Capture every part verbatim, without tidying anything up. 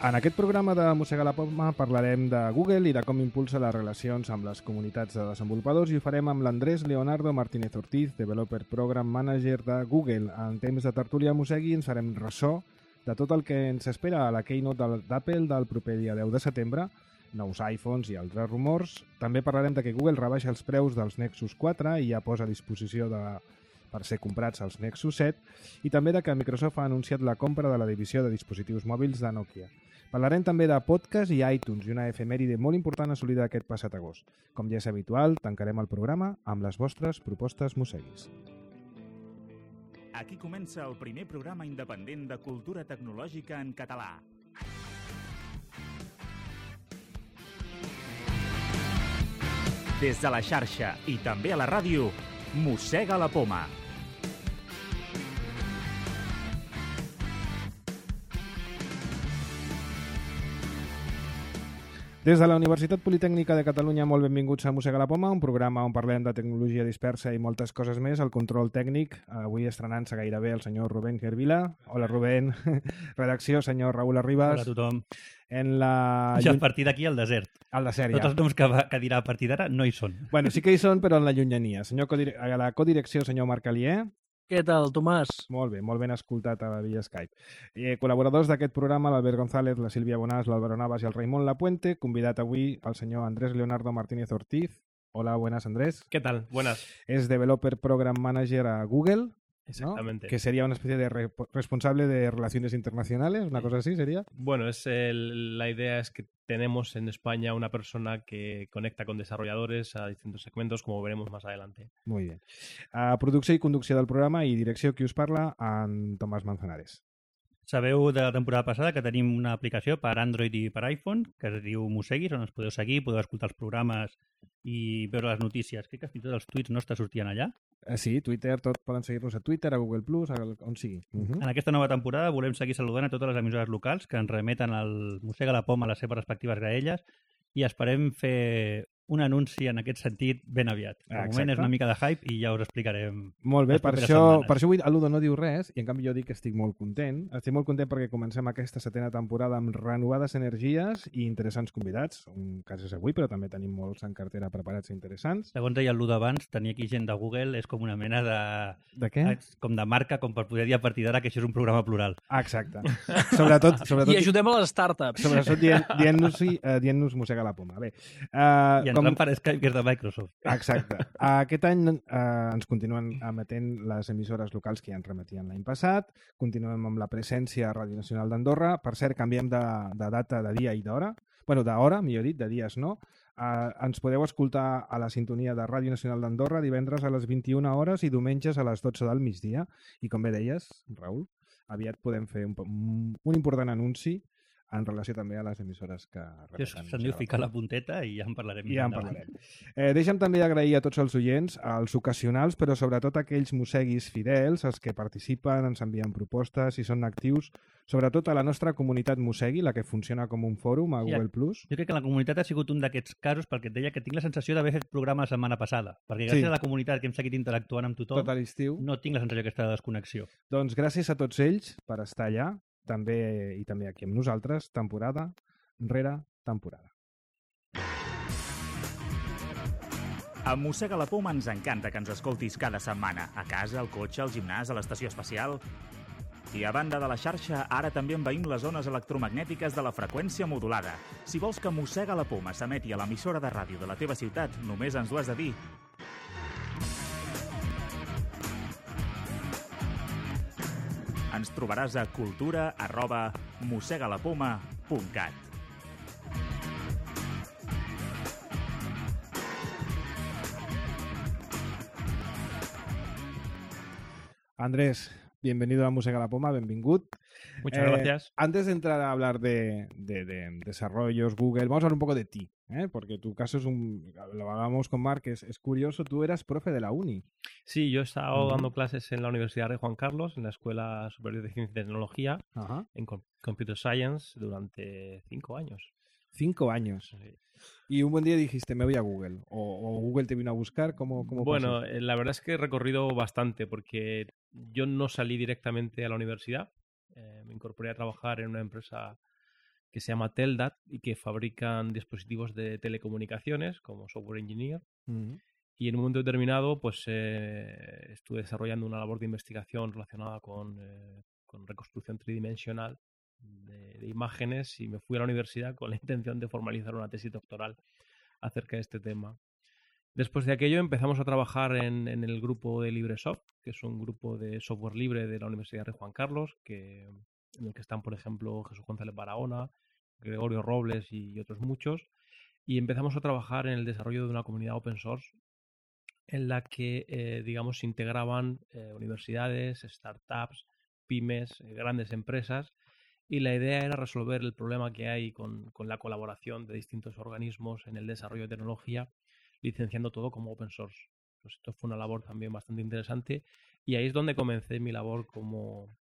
En aquest programa de Mossega la Poma parlarem de Google i de com impulsa les relacions amb les comunitats de desenvolupadors i ho farem amb l'Andrés Leonardo Martínez Ortiz, Developer Program Manager de Google. En temps de tertúlia Mossegui ens farem ressò de tot el que ens espera a la Keynote d'Apple del proper dia deu de setembre, nous iPhones i altres rumors. També parlarem de que Google rebaixa els preus dels Nexus quatre i ja posa a disposició de... per ser comprats als Nexus set, i també de que Microsoft ha anunciat la compra de la divisió de dispositius mòbils de Nokia. Parlarem també de podcast i iTunes i una efemèride molt important assolida aquest passat agost. Com ja és habitual, tancarem el programa amb les vostres propostes mosseguis. Aquí comença el primer programa independent de cultura tecnològica en català. Des de la xarxa i també a la ràdio, Mossega la Poma. Des de la Universitat Politècnica de Catalunya, molt benvinguts a Mossega la Poma, un programa on parlem de tecnologia dispersa i moltes coses més. El control tècnic, avui estrenant-se gairebé el senyor Rubén Gervila. Hola, Rubén. Redacció, senyor Raül Arribas. Hola a tothom. En la... Ja a partir d'aquí al desert. Al desert, ja. Tots els noms que, va, que dirà a partir d'ara no hi són. Bueno, sí que hi són, però en la llunyania. Senyor Codire... A la codirecció, senyor Marc Alier. Què tal, Tomàs? Molt bé, molt ben escoltat a via Skype. Eh, col·laboradors d'aquest programa, l'Albert González, la Sílvia Bonàs, l'Álvaro Navas i el Raimon Lapuente. Convidat avui el senyor Andrés Leonardo Martínez Ortiz. Hola, buenas, Andrés. ¿Qué tal? Buenas. Es Developer Program Manager a Google. Exactamente. ¿No? Que sería una especie de re responsable de relaciones internacionales, una cosa así sería. Bueno, es el, la idea es que tenemos en España una persona que conecta con desarrolladores a distintos segmentos, como veremos más adelante. Muy bien. Uh, producció i conducció del programa i direcció qui us parla, en Tomàs Manzanares. Sabeu de la temporada passada que tenim una aplicació per Android i per iPhone que es diu Mosseguis, on ens podeu seguir, podeu escoltar els programes i veure les notícies. Crec que fins i tot els tuits nostres sortien allà. Eh, sí, Twitter, tot poden seguir-nos a Twitter, a Google Plus, a on sigui. Uh -huh. En aquesta nova temporada volem seguir saludant a totes les emissores locals que ens remeten al Mossega la Poma a les seves respectives graelles i esperem fer un anunci en aquest sentit ben aviat. De ah, moment és una mica de hype i ja us explicarem. Molt bé, per això, per això avui el Ludo no diu res i en canvi jo dic que estic molt content. Estic molt content perquè comencem aquesta setena temporada amb renovades energies i interessants convidats. Un cas és avui, però també tenim molts en cartera preparats i interessants. Segons deia el Ludo abans, tenir aquí gent de Google és com una mena de... De què? Com de marca, com per poder dir a partir d'ara que això és un programa plural. Ah, exacte. sobretot, sobretot, I ajudem a les startups. Sobretot dient-nos dient uh, dient Mossega la Poma. Bé, uh, I ens com... per Skype, que és de Microsoft. Exacte. Aquest any eh, ens continuen emetent les emissores locals que ja ens remetien l'any passat. Continuem amb la presència a Ràdio Nacional d'Andorra. Per cert, canviem de, de data, de dia i d'hora. Bueno, d'hora, millor dit, de dies no. Eh, ens podeu escoltar a la sintonia de Ràdio Nacional d'Andorra divendres a les vint-i-una hores i diumenges a les dotze del migdia. I com bé deies, Raül, aviat podem fer un, un important anunci en relació també a les emissores que repeten. Se'n diu ficar la punteta i ja en parlarem. I ja en parlarem. Eh, deixa'm també agrair a tots els oients, als ocasionals, però sobretot a aquells mosseguis fidels, els que participen, ens envien propostes i són actius, sobretot a la nostra comunitat Mossegui, la que funciona com un fòrum a sí, Google Plus. Jo crec que la comunitat ha sigut un d'aquests casos perquè et deia que tinc la sensació d'haver fet programa la setmana passada, perquè gràcies sí. a la comunitat que hem seguit interactuant amb tothom, tot a l'estiu, no tinc la sensació d'aquesta desconnexió. Doncs gràcies a tots ells per estar allà, també i també aquí amb nosaltres, temporada rere temporada. A Mossega la Poma ens encanta que ens escoltis cada setmana, a casa, al cotxe, al gimnàs, a l'estació espacial. I a banda de la xarxa, ara també envaïm les zones electromagnètiques de la freqüència modulada. Si vols que Mossega la Poma s'emeti a l'emissora de ràdio de la teva ciutat, només ens ho has de dir. Ens trobaràs a cultura arroba mossegalapoma punt cat. Andrés, bienvenido a Mossega la Poma, benvingut. Muchas eh, gracias. Antes de entrar a hablar de, de, de desarrollos, Google, vamos a hablar un poco de ti, ¿eh? Porque tu caso es un, lo hablábamos con Marc, es, es curioso, tú eras profe de la uni. Sí, yo he estado uh-huh. dando clases en la Universidad de Juan Carlos, en la Escuela Superior de Ciencia y Tecnología, uh-huh. en Computer Science, durante cinco años. Cinco años. Sí. Y un buen día dijiste, me voy a Google, o, o Google te vino a buscar, ¿cómo, cómo Bueno, pasó? la verdad es que he recorrido bastante, porque yo no salí directamente a la universidad, eh, me incorporé a trabajar en una empresa que se llama Teldat y que fabrican dispositivos de telecomunicaciones como software engineer. Uh-huh. Y en un momento determinado pues eh, estuve desarrollando una labor de investigación relacionada con, eh, con reconstrucción tridimensional de, de imágenes y me fui a la universidad con la intención de formalizar una tesis doctoral acerca de este tema. Después de aquello empezamos a trabajar en, en el grupo de LibreSoft, que es un grupo de software libre de la Universidad Rey Juan Carlos, que, en el que están, por ejemplo, Jesús González Barahona, Gregorio Robles y otros muchos. Y empezamos a trabajar en el desarrollo de una comunidad open source en la que, eh, digamos, se integraban eh, universidades, startups, pymes, eh, grandes empresas, y la idea era resolver el problema que hay con, con la colaboración de distintos organismos en el desarrollo de tecnología, licenciando todo como open source. Pues esto fue una labor también bastante interesante y ahí es donde comencé mi labor como,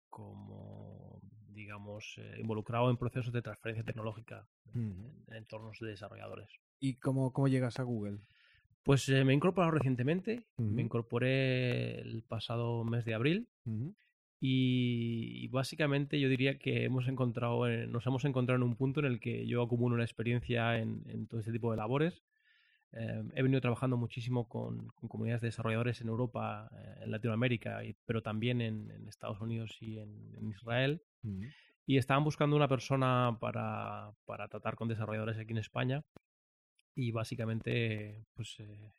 como digamos, eh, involucrado en procesos de transferencia tecnológica mm. en, en entornos de desarrolladores. ¿Y cómo, cómo llegas a Google? Pues eh, me he incorporado recientemente, Uh-huh. me incorporé el pasado mes de abril uh-huh. y, y básicamente yo diría que hemos encontrado, en, nos hemos encontrado en un punto en el que yo acumulo una experiencia en, en todo este tipo de labores. Eh, he venido trabajando muchísimo con, con comunidades de desarrolladores en Europa, eh, en Latinoamérica, y, pero también en, en Estados Unidos y en, en Israel. Uh-huh. Y estaban buscando una persona para, para tratar con desarrolladores aquí en España. Y básicamente, pues eh,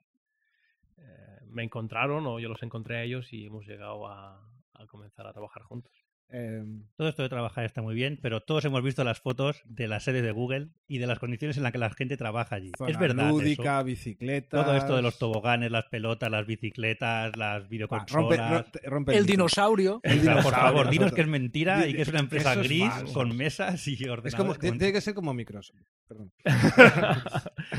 eh, me encontraron o yo los encontré a ellos y hemos llegado a, a comenzar a trabajar juntos. Eh, todo esto de trabajar está muy bien, pero todos hemos visto las fotos de las sedes de Google y de las condiciones en las que la gente trabaja allí. Zona es verdad lúdica, eso. bicicletas... Todo esto de los toboganes, las pelotas, las bicicletas, las videoconsolas... Va, rompe, rompe el, el dinosaurio. El dinosaurio. Por favor, dinos que es mentira y que es una empresa es gris falso. con mesas y ordenadores. Es como, tiene que ser como Microsoft. Perdón.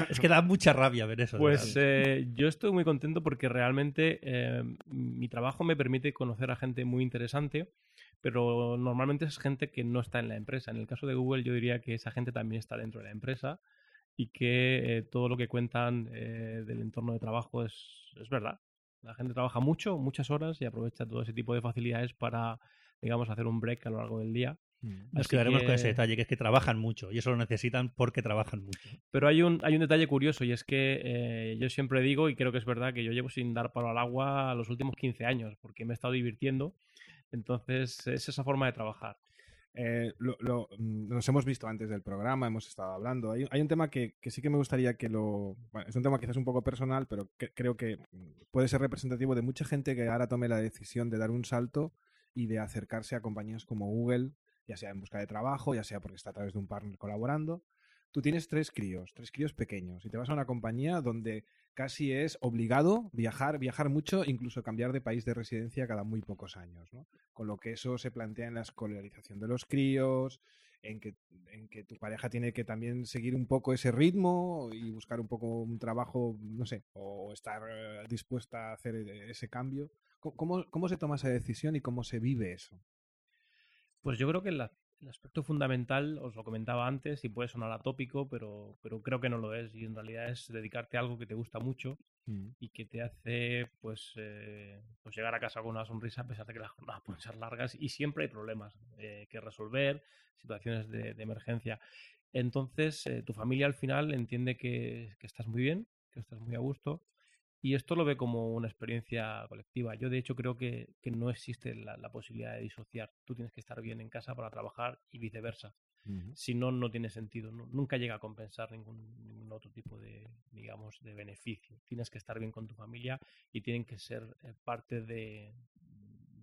Es que da mucha rabia ver eso. Pues eh, yo estoy muy contento porque realmente eh, mi trabajo me permite conocer a gente muy interesante, pero normalmente es gente que no está en la empresa. En el caso de Google yo diría que esa gente también está dentro de la empresa y que eh, todo lo que cuentan eh, del entorno de trabajo es, es verdad. La gente trabaja mucho, muchas horas y aprovecha todo ese tipo de facilidades para, digamos, hacer un break a lo largo del día. Nos quedaremos que... con ese detalle, que es que trabajan mucho y eso lo necesitan porque trabajan mucho. Pero hay un, hay un detalle curioso y es que eh, yo siempre digo, y creo que es verdad, que yo llevo sin dar palo al agua los últimos quince años porque me he estado divirtiendo. Entonces es esa forma de trabajar. Eh, lo, lo, nos hemos visto antes del programa, hemos estado hablando. Hay, hay un tema que, que sí que me gustaría que lo... Bueno, es un tema quizás un poco personal, pero que, creo que puede ser representativo de mucha gente que ahora tome la decisión de dar un salto y de acercarse a compañías como Google, ya sea en busca de trabajo, ya sea porque está a través de un partner colaborando. Tú tienes tres críos, tres críos pequeños, y te vas a una compañía donde casi es obligado viajar, viajar mucho, incluso cambiar de país de residencia cada muy pocos años, ¿no? Con lo que eso se plantea en la escolarización de los críos, en que, en que tu pareja tiene que también seguir un poco ese ritmo y buscar un poco un trabajo, no sé, o estar dispuesta a hacer ese cambio. ¿Cómo, cómo se toma esa decisión y cómo se vive eso? Pues yo creo que la, el aspecto fundamental, os lo comentaba antes, y puede sonar atópico, pero, pero creo que no lo es. Y en realidad es dedicarte a algo que te gusta mucho mm. y que te hace pues, eh, pues llegar a casa con una sonrisa a pesar de que las jornadas pueden ser largas y siempre hay problemas eh, que resolver, situaciones de, de emergencia. Entonces, eh, tu familia al final entiende que, que estás muy bien, que estás muy a gusto. Y esto lo ve como una experiencia colectiva. Yo, de hecho, creo que, que no existe la, la posibilidad de disociar. Tú tienes que estar bien en casa para trabajar y viceversa. Uh-huh. Si no, no tiene sentido. No, nunca llega a compensar ningún, ningún otro tipo de, digamos, de beneficio. Tienes que estar bien con tu familia y tienen que ser eh, parte de,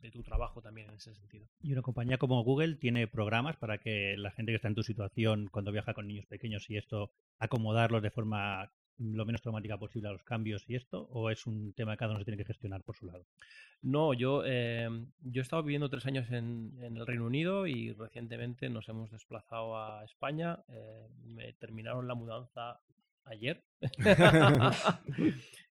de tu trabajo también en ese sentido. Y una compañía como Google tiene programas para que la gente que está en tu situación, cuando viaja con niños pequeños y esto, acomodarlos de forma lo menos traumática posible a los cambios y esto, o es un tema que cada uno se tiene que gestionar por su lado? No, yo, eh, yo he estado viviendo tres años en, en el Reino Unido y recientemente nos hemos desplazado a España. Eh, me terminaron la mudanza ayer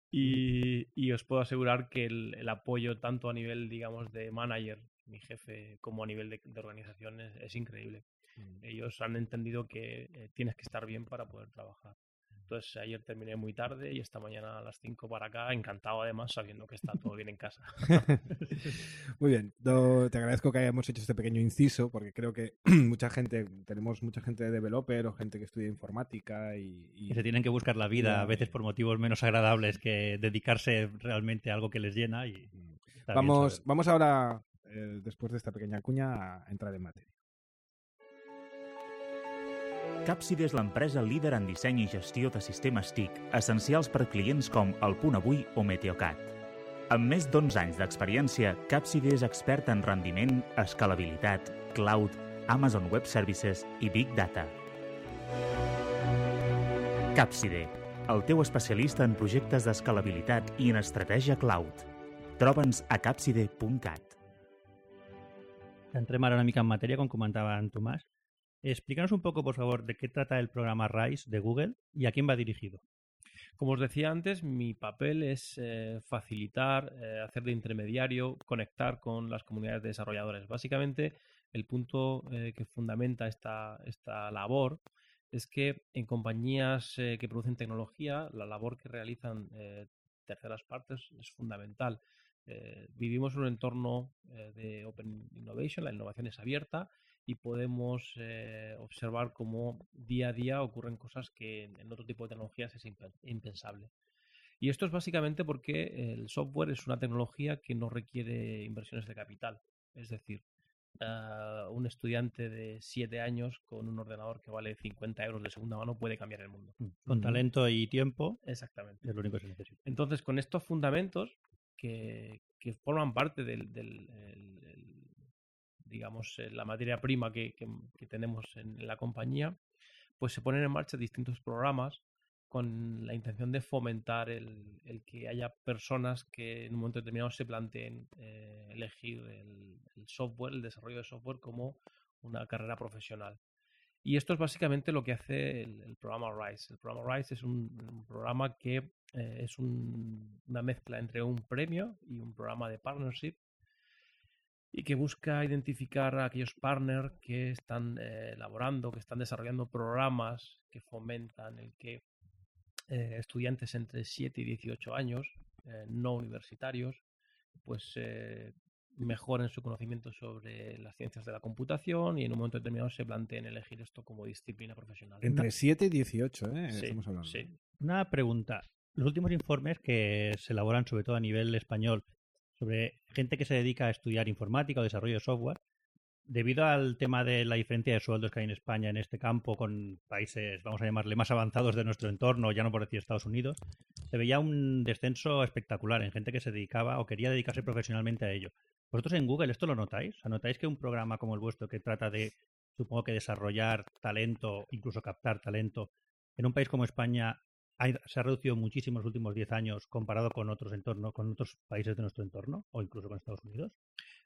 y, y os puedo asegurar que el, el apoyo tanto a nivel, digamos, de manager, mi jefe, como a nivel de, de organización es, es increíble. Mm. Ellos han entendido que eh, tienes que estar bien para poder trabajar. Entonces ayer terminé muy tarde y esta mañana a las cinco para acá, encantado además sabiendo que está todo bien en casa. Muy bien, no, te agradezco que hayamos hecho este pequeño inciso porque creo que mucha gente, tenemos mucha gente de developer o gente que estudia informática y... y... que se tienen que buscar la vida Ya, a veces y... por motivos menos agradables que dedicarse realmente a algo que les llena. Y vamos, vamos ahora, eh, después de esta pequeña cuña, a entrar en materia. Capside és l'empresa líder en disseny i gestió de sistemes T I C, essencials per clients com El Punt Avui o Meteocat. Amb més d'onze anys d'experiència, Capside és expert en rendiment, escalabilitat, cloud, Amazon Web Services i Big Data. Capside, el teu especialista en projectes d'escalabilitat i en estratègia cloud. Troba'ns a capside punt cat. Entrem ara una mica en matèria, com comentava en Tomàs. Explícanos un poco, por favor, de qué trata el programa RISE de Google y a quién va dirigido. Como os decía antes, mi papel es eh, facilitar, eh, hacer de intermediario, conectar con las comunidades de desarrolladores. Básicamente, el punto eh, que fundamenta esta, esta labor es que en compañías eh, que producen tecnología, la labor que realizan eh, terceras partes es fundamental. Eh, vivimos en un entorno eh, de Open Innovation, la innovación es abierta, y podemos eh, observar cómo día a día ocurren cosas que en, en otro tipo de tecnologías es impensable. Y esto es básicamente porque el software es una tecnología que no requiere inversiones de capital. Es decir, uh, un estudiante de siete años con un ordenador que vale cincuenta euros de segunda mano puede cambiar el mundo. Con talento y tiempo. Exactamente. Es lo único que se necesita. Entonces, con estos fundamentos que, que forman parte del... del el, el, digamos, la materia prima que, que, que tenemos en la compañía, pues se ponen en marcha distintos programas con la intención de fomentar el, el que haya personas que en un momento determinado se planteen eh, elegir el, el software, el desarrollo de software como una carrera profesional. Y esto es básicamente lo que hace el, el programa RISE. El programa RISE es un, un programa que eh, es un, una mezcla entre un premio y un programa de partnership, y que busca identificar a aquellos partners que están eh, elaborando, que están desarrollando programas que fomentan el que eh, estudiantes entre siete y dieciocho años, eh, no universitarios, pues eh, mejoren su conocimiento sobre las ciencias de la computación y en un momento determinado se planteen elegir esto como disciplina profesional. Entre siete y dieciocho, ¿eh? Sí, Estamos hablando. Sí. Una pregunta. Los últimos informes que se elaboran, sobre todo a nivel español, sobre gente que se dedica a estudiar informática o desarrollo de software, debido al tema de la diferencia de sueldos que hay en España en este campo con países, vamos a llamarle, más avanzados de nuestro entorno, ya no por decir Estados Unidos, se veía un descenso espectacular en gente que se dedicaba o quería dedicarse profesionalmente a ello. ¿Vosotros en Google esto lo notáis? ¿O notáis que un programa como el vuestro que trata de, supongo que desarrollar talento, incluso captar talento, en un país como España se ha reducido muchísimo en los últimos diez años comparado con otros entornos, con otros países de nuestro entorno o incluso con Estados Unidos?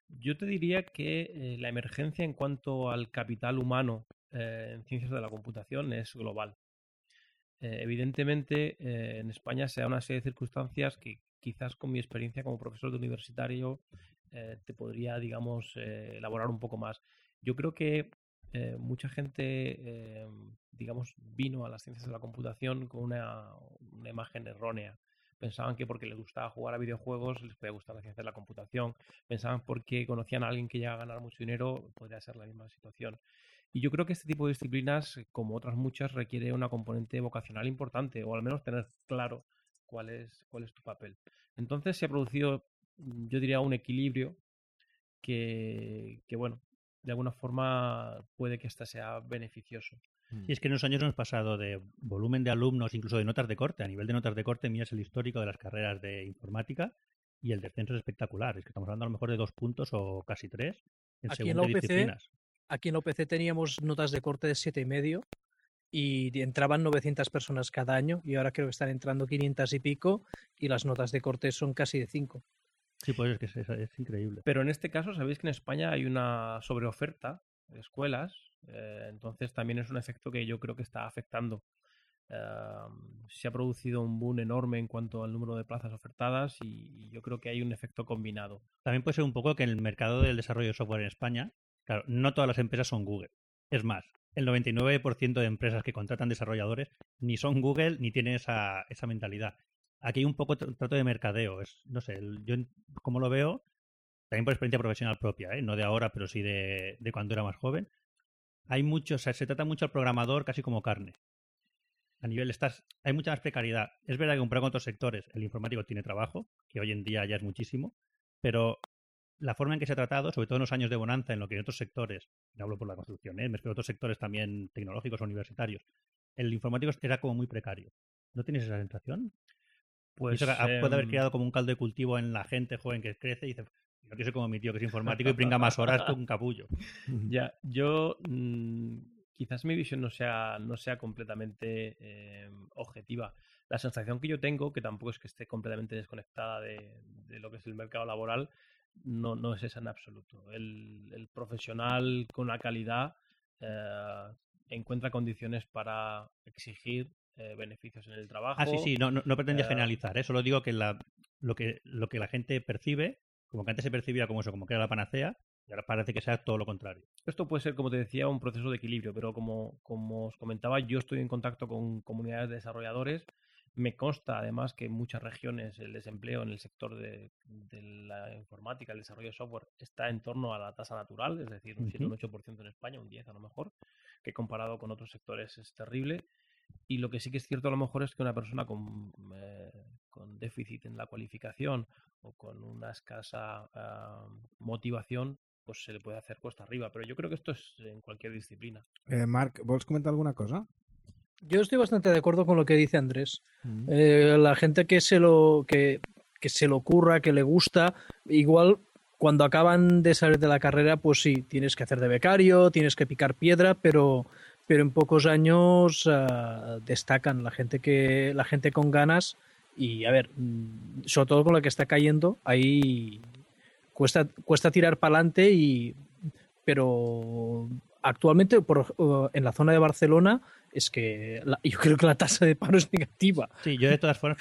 Yo te diría que eh, la emergencia en cuanto al capital humano eh, en ciencias de la computación es global. Eh, evidentemente, eh, en España se da una serie de circunstancias que quizás con mi experiencia como profesor de universitario eh, te podría, digamos, eh, elaborar un poco más. Yo creo que Eh, mucha gente, eh, digamos, vino a las ciencias de la computación con una, una imagen errónea. Pensaban que porque les gustaba jugar a videojuegos les podía gustar la ciencia de la computación. Pensaban porque conocían a alguien que llega a ganar mucho dinero podría ser la misma situación. Y yo creo que este tipo de disciplinas, como otras muchas, requiere una componente vocacional importante, o al menos tener claro cuál es, cuál es tu papel. Entonces se ha producido, yo diría, un equilibrio que, que bueno, de alguna forma puede que esta sea beneficioso. Sí, es que en unos años hemos pasado de volumen de alumnos, incluso de notas de corte. A nivel de notas de corte, miras el histórico de las carreras de informática y el descenso es espectacular. Es que estamos hablando a lo mejor de dos puntos o casi tres en aquí según en la qué U P C, disciplinas. Aquí en la U P C teníamos notas de corte de siete y medio y entraban novecientas personas cada año y ahora creo que están entrando quinientas y pico y las notas de corte son casi de cinco. Sí, pues es que es, es increíble. Pero en este caso, sabéis que en España hay una sobreoferta de escuelas, eh, entonces también es un efecto que yo creo que está afectando. Uh, se ha producido un boom enorme en cuanto al número de plazas ofertadas y, y yo creo que hay un efecto combinado. También puede ser un poco que en el mercado del desarrollo de software en España, claro, no todas las empresas son Google. Es más, el noventa y nueve por ciento de empresas que contratan desarrolladores ni son Google ni tienen esa, esa mentalidad. Aquí hay un poco tr- trato de mercadeo. Es, no sé, el- yo en- como lo veo, también por experiencia profesional propia, ¿eh? No de ahora, pero sí de, de cuando era más joven. Hay mucho, o sea, se trata mucho al programador casi como carne. A nivel estás, hay mucha más precariedad. Es verdad que comparado con otros sectores, el informático tiene trabajo, que hoy en día ya es muchísimo, pero la forma en que se ha tratado, sobre todo en los años de bonanza, en lo que en otros sectores, no hablo por la construcción, ¿eh? Me refiero a otros sectores también tecnológicos o universitarios, el informático era como muy precario. ¿No tienes esa sensación? Y Pues eso ha- puede haber em, creado como un caldo de cultivo en la gente joven que crece y dice, yo quiero ser como mi tío que es informático y pringa más horas que un capullo. ya, yo mm, quizás mi visión no sea, no sea completamente eh, objetiva. La sensación que yo tengo, que tampoco es que esté completamente desconectada de, de lo que es el mercado laboral, no, no es esa en absoluto. El, el profesional con la calidad eh, encuentra condiciones para exigir eh, beneficios en el trabajo. Ah, sí, sí, no, no, no pretendía Eh, generalizar, ¿eh? Solo digo que, la, lo que lo que la gente percibe, como que antes se percibía como eso, como que era la panacea, y ahora parece que sea todo lo contrario. Esto puede ser, como te decía, un proceso de equilibrio, pero como, como os comentaba, yo estoy en contacto con comunidades de desarrolladores. Me consta, además, que en muchas regiones el desempleo en el sector de, de la informática, el desarrollo de software, está en torno a la tasa natural, es decir, un siete o un ocho por ciento en España, un diez por ciento a lo mejor, que comparado con otros sectores es terrible. Y lo que sí que es cierto a lo mejor es que una persona con, eh, con déficit en la cualificación o con una escasa uh, motivación, pues se le puede hacer cuesta arriba. Pero yo creo que esto es en cualquier disciplina. Eh, Marc, ¿vols comentar alguna cosa? Yo estoy bastante de acuerdo con lo que dice Andrés. Mm. Eh, la gente que se lo que, que se lo ocurra, que le gusta, igual cuando acaban de salir de la carrera, pues sí, tienes que hacer de becario, tienes que picar piedra, pero, pero en pocos años uh, destacan la gente que la gente con ganas y a ver, sobre todo con la que está cayendo, ahí cuesta cuesta tirar para adelante y pero actualmente por, uh, en la zona de Barcelona es que la, yo creo que la tasa de paro es negativa. Sí, yo de todas formas...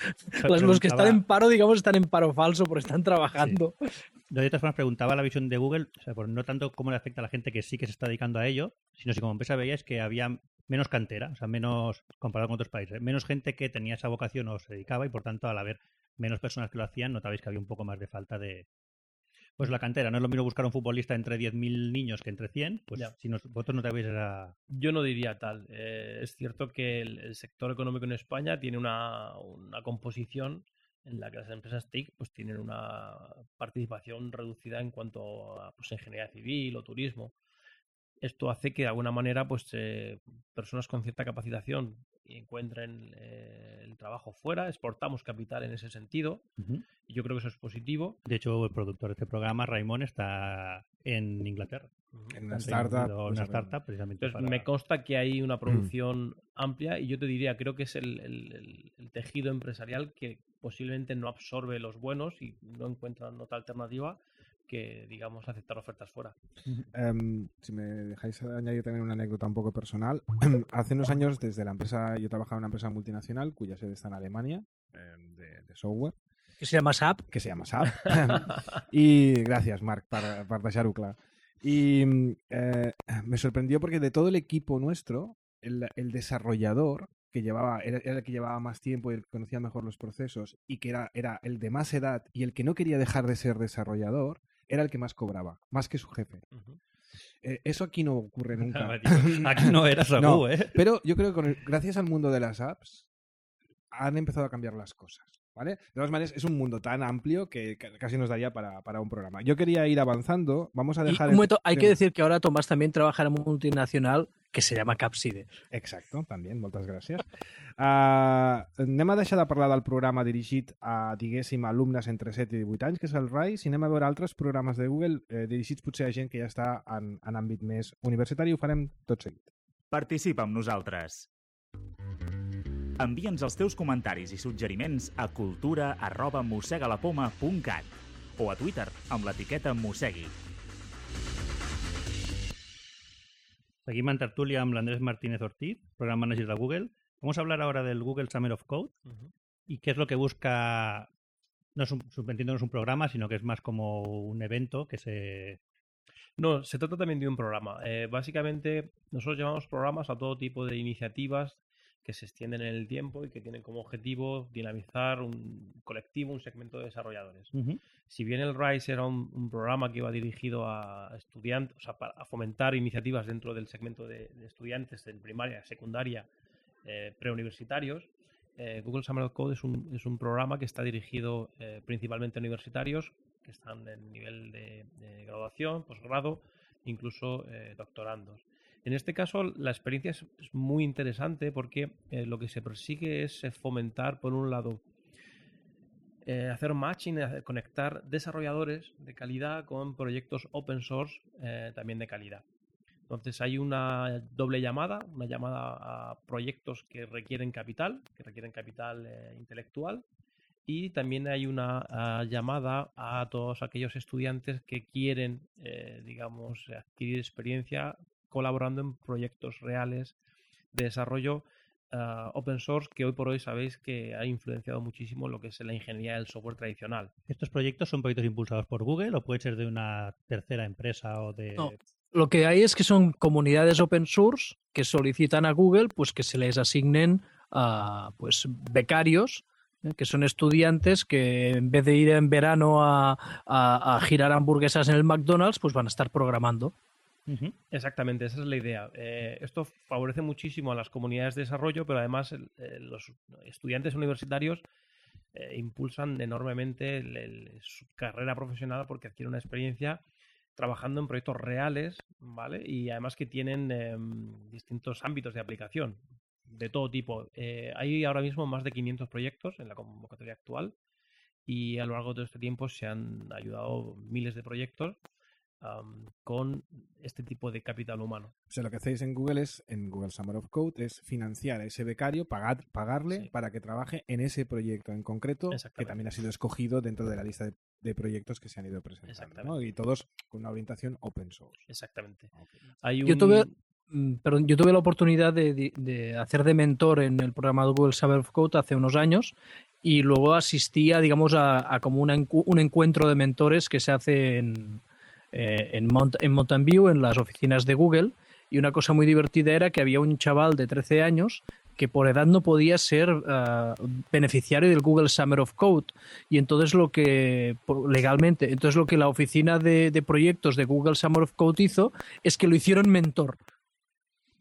Los, los que están en paro, digamos, están en paro falso porque están trabajando. Sí. Yo de todas formas preguntaba la visión de Google, o sea, por no tanto cómo le afecta a la gente que sí que se está dedicando a ello, sino si como empresa veíais que había menos cantera, o sea, menos, comparado con otros países, menos gente que tenía esa vocación o se dedicaba y por tanto al haber menos personas que lo hacían, notabais que había un poco más de falta de... Pues la cantera, no es lo mismo buscar un futbolista entre diez mil niños que entre cien, pues ya. Si nos, vosotros no te habéis esa... Yo no diría tal. Eh, es cierto que el, el sector económico en España tiene una, una composición en la que las empresas T I C pues tienen una participación reducida en cuanto a pues, ingeniería civil o turismo. Esto hace que de alguna manera pues eh, personas con cierta capacitación encuentren eh, el trabajo fuera, exportamos capital en ese sentido. Uh-huh. Y yo creo que eso es positivo. De hecho, el productor de este programa, Raimon, está en Inglaterra. Uh-huh. En una startup. En una startup, precisamente. Entonces, para... me consta que hay una producción uh-huh. amplia y yo te diría, creo que es el, el, el, el tejido empresarial que posiblemente no absorbe los buenos y no encuentra otra alternativa que, digamos, aceptar ofertas fuera. Um, si me dejáis añadir también una anécdota un poco personal. Hace unos años, desde la empresa, yo trabajaba en una empresa multinacional cuya sede está en Alemania, eh, de, de software. Que se llama S A P. Que se llama S A P. Y gracias, Marc, per, per deixar-ho clar. Y eh, me sorprendió porque de todo el equipo nuestro, el, el desarrollador, que llevaba, era, era el que llevaba más tiempo y el que conocía mejor los procesos, y que era, era el de más edad y el que no quería dejar de ser desarrollador, era el que más cobraba, más que su jefe. Uh-huh. Eh, eso aquí no ocurre nunca. Aquí no era Sabu, no, ¿eh? Pero yo creo que con el, gracias al mundo de las apps han empezado a cambiar las cosas, ¿vale? De todas maneras, es un mundo tan amplio que casi nos daría para, para un programa. Yo quería ir avanzando. Vamos a dejar... Y un momento, hay que decir que ahora Tomás también trabaja en una multinacional que se llama Capside. Exacto, també, moltes gràcies. Uh, anem a deixar de parlar del programa dirigit a, diguéssim, alumnes entre set i divuit anys, que és el RISE, i anem a veure altres programes de Google eh, dirigits potser a gent que ja està en, en àmbit més universitari. Ho farem tot seguit. Participa amb nosaltres. Envia'ns els teus comentaris i suggeriments a cultura arroba mossegalapoma punt cat o a Twitter amb l'etiqueta mossegui. Seguim en tertúlia amb l'Andrés Martínez Ortiz, Program Manager de Google. Vamos a hablar ahora del Google Summer of Code uh-huh. y qué es lo que busca, no es un, entiendo no es un programa, sino que es más como un evento que se... No, se trata también de un programa. Eh, básicamente, nosotros llamamos programas a todo tipo de iniciativas que se extienden en el tiempo y que tienen como objetivo dinamizar un colectivo, un segmento de desarrolladores. Uh-huh. Si bien el RISE era un, un programa que iba dirigido a estudiantes, o sea, para, a fomentar iniciativas dentro del segmento de, de estudiantes en primaria, secundaria, eh, preuniversitarios, eh, Google Summer of Code es un, es un programa que está dirigido eh, principalmente a universitarios que están en nivel de, de graduación, posgrado, incluso eh, doctorandos. En este caso, la experiencia es, es muy interesante porque eh, lo que se persigue es fomentar, por un lado, eh, hacer matching, conectar desarrolladores de calidad con proyectos open source eh, también de calidad. Entonces hay una doble llamada, una llamada a proyectos que requieren capital, que requieren capital eh, intelectual, y también hay una uh, llamada a todos aquellos estudiantes que quieren, eh, digamos, adquirir experiencia colaborando en proyectos reales de desarrollo uh, open source, que hoy por hoy sabéis que ha influenciado muchísimo lo que es la ingeniería del software tradicional. ¿Estos proyectos son proyectos impulsados por Google o puede ser de una tercera empresa o de...? No. Lo que hay es que son comunidades open source que solicitan a Google pues que se les asignen uh, pues becarios, ¿eh? Que son estudiantes que en vez de ir en verano a, a, a girar hamburguesas en el McDonald's, pues van a estar programando. Uh-huh. Exactamente, esa es la idea. Eh, esto favorece muchísimo a las comunidades de desarrollo, pero además eh, los estudiantes universitarios eh, impulsan enormemente el, el, su carrera profesional porque adquieren una experiencia trabajando en proyectos reales, ¿vale? Y además que tienen eh, distintos ámbitos de aplicación de todo tipo. Eh, hay ahora mismo más de quinientos proyectos en la convocatoria actual y a lo largo de todo este tiempo se han ayudado miles de proyectos Um, con este tipo de capital humano. O sea, lo que hacéis en Google es, en Google Summer of Code, es financiar a ese becario, pagar, pagarle sí. para que trabaje en ese proyecto en concreto, que también ha sido escogido dentro de la lista de, de proyectos que se han ido presentando, ¿no? Y todos con una orientación open source. Exactamente. Okay. Hay un... Yo tuve... Perdón, yo tuve la oportunidad de, de, de hacer de mentor en el programa de Google Summer of Code hace unos años y luego asistía, digamos, a, a como una, un encuentro de mentores que se hace en... Eh, en, Mount, en Mountain View, en las oficinas de Google, y una cosa muy divertida era que había un chaval de trece años que por edad no podía ser uh, beneficiario del Google Summer of Code, y entonces lo que legalmente, entonces lo que la oficina de, de proyectos de Google Summer of Code hizo es que lo hicieron mentor.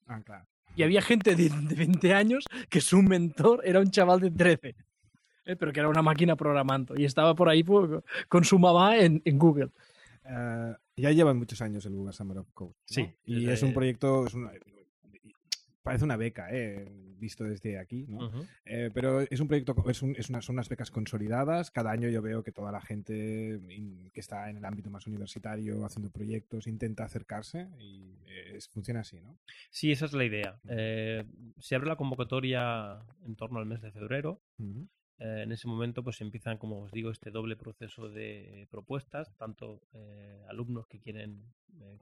Ah, claro. Y había gente de, de veinte años que su mentor era un chaval de trece, eh, pero que era una máquina programando, y estaba por ahí por, con su mamá en, en Google. Uh, ya llevan muchos años el Google Summer of Code, ¿no? Sí. Y desde... es un proyecto, es una, parece una beca, eh, visto desde aquí, ¿no? Uh-huh. Eh, pero es un proyecto, es un, es una, son unas becas consolidadas. Cada año yo veo que toda la gente in, que está en el ámbito más universitario haciendo proyectos intenta acercarse y eh, es, funciona así, ¿no? Sí, esa es la idea. Eh, se abre la convocatoria en torno al mes de febrero. Uh-huh. Eh, en ese momento pues empiezan, como os digo, este doble proceso de propuestas, tanto eh, alumnos que quieren eh,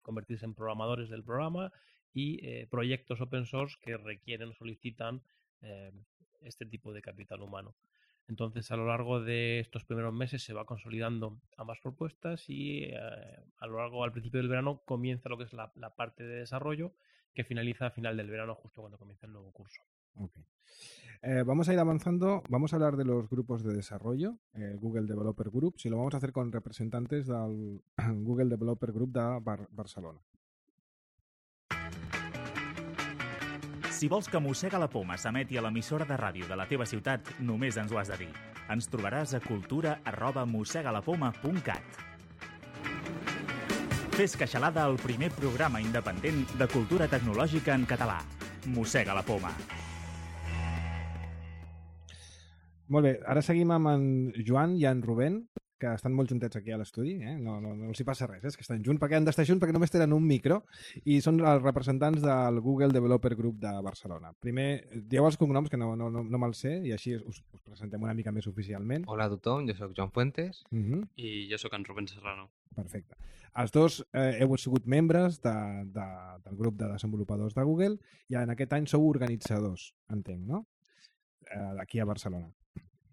convertirse en programadores del programa y eh, proyectos open source que requieren o solicitan eh, este tipo de capital humano. Entonces, a lo largo de estos primeros meses se va consolidando ambas propuestas y eh, a lo largo, al principio del verano, comienza lo que es la, la parte de desarrollo, que finaliza a final del verano, justo cuando comienza el nuevo curso. Okay. Eh, vamos a ir avanzando, vamos a hablar de los grupos de desarrollo, eh, Google Developer Groups, y lo vamos a hacer con representantes del Google Developer Group de Bar Barcelona. Si vols que Mossega la Poma s'emeti a l'emissora de ràdio de la teva ciutat, només ens ho has de dir. Ens trobaràs a cultura arroba mossegalapoma punt cat. Fes Queixalada, el primer programa independent de cultura tecnològica en català. Mossega la Poma. Molt bé, ara seguim amb en Joan i en Rubén, que estan molt juntets aquí a l'estudi, eh? no, no, no els hi passa res, eh? És que estan junts perquè han d'estar junts perquè només tenen un micro i són els representants del Google Developer Group de Barcelona. Primer, dieu els cognoms, que no, no, no, no me'ls sé, i així us, us presentem una mica més oficialment. Hola a tothom, jo sóc Joan Fuentes. Uh-huh. I jo sóc en Rubén Serrano. Perfecte. Els dos eh, heu sigut membres de, de, del grup de desenvolupadors de Google i en aquest any sou organitzadors, entenc, no? Eh, aquí a Barcelona.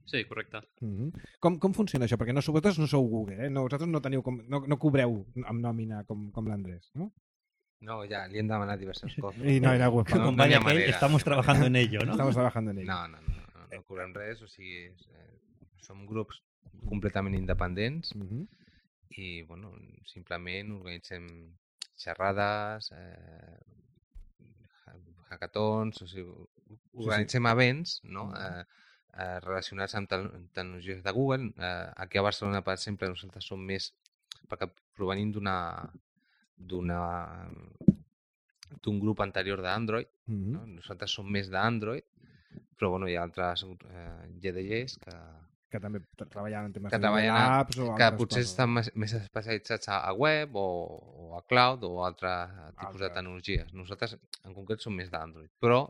Sí, correcte. Mm-hmm. Com, com funciona això? Perquè no, vosaltres no sou Google, eh? No, vosaltres no, teniu com, no, no cobreu amb nòmina com, com l'Andrés, no? No, ya, le han demanat diversos cops. I no era web. No, No, con no hi Vaya ha que manera. estamos trabajando en ello, ¿no? Estamos trabajando en ello. No, no, no, no, no cobrem res, o sigui, eh, som grups completament independents Mm-hmm. i, bueno, simplement organitzem xerrades, eh, hackathons, o sigui, organitzem events, no?, eh, eh, relacionats amb te tecnologies de Google. Eh, aquí a Barcelona, per exemple, nosaltres som més, perquè provenim d'una d'una d'un grup anterior d'Android, Mm-hmm. no? Nosaltres som més d'Android, però bueno, hi ha altres eh, G D Gs que, Que també treballen en temes que de treballen a, apps o que altres potser coses. estan més, més especialitzats a, a web o, o a cloud o altres tipus Altres. de tecnologies. Nosaltres en concret som més d'Android, però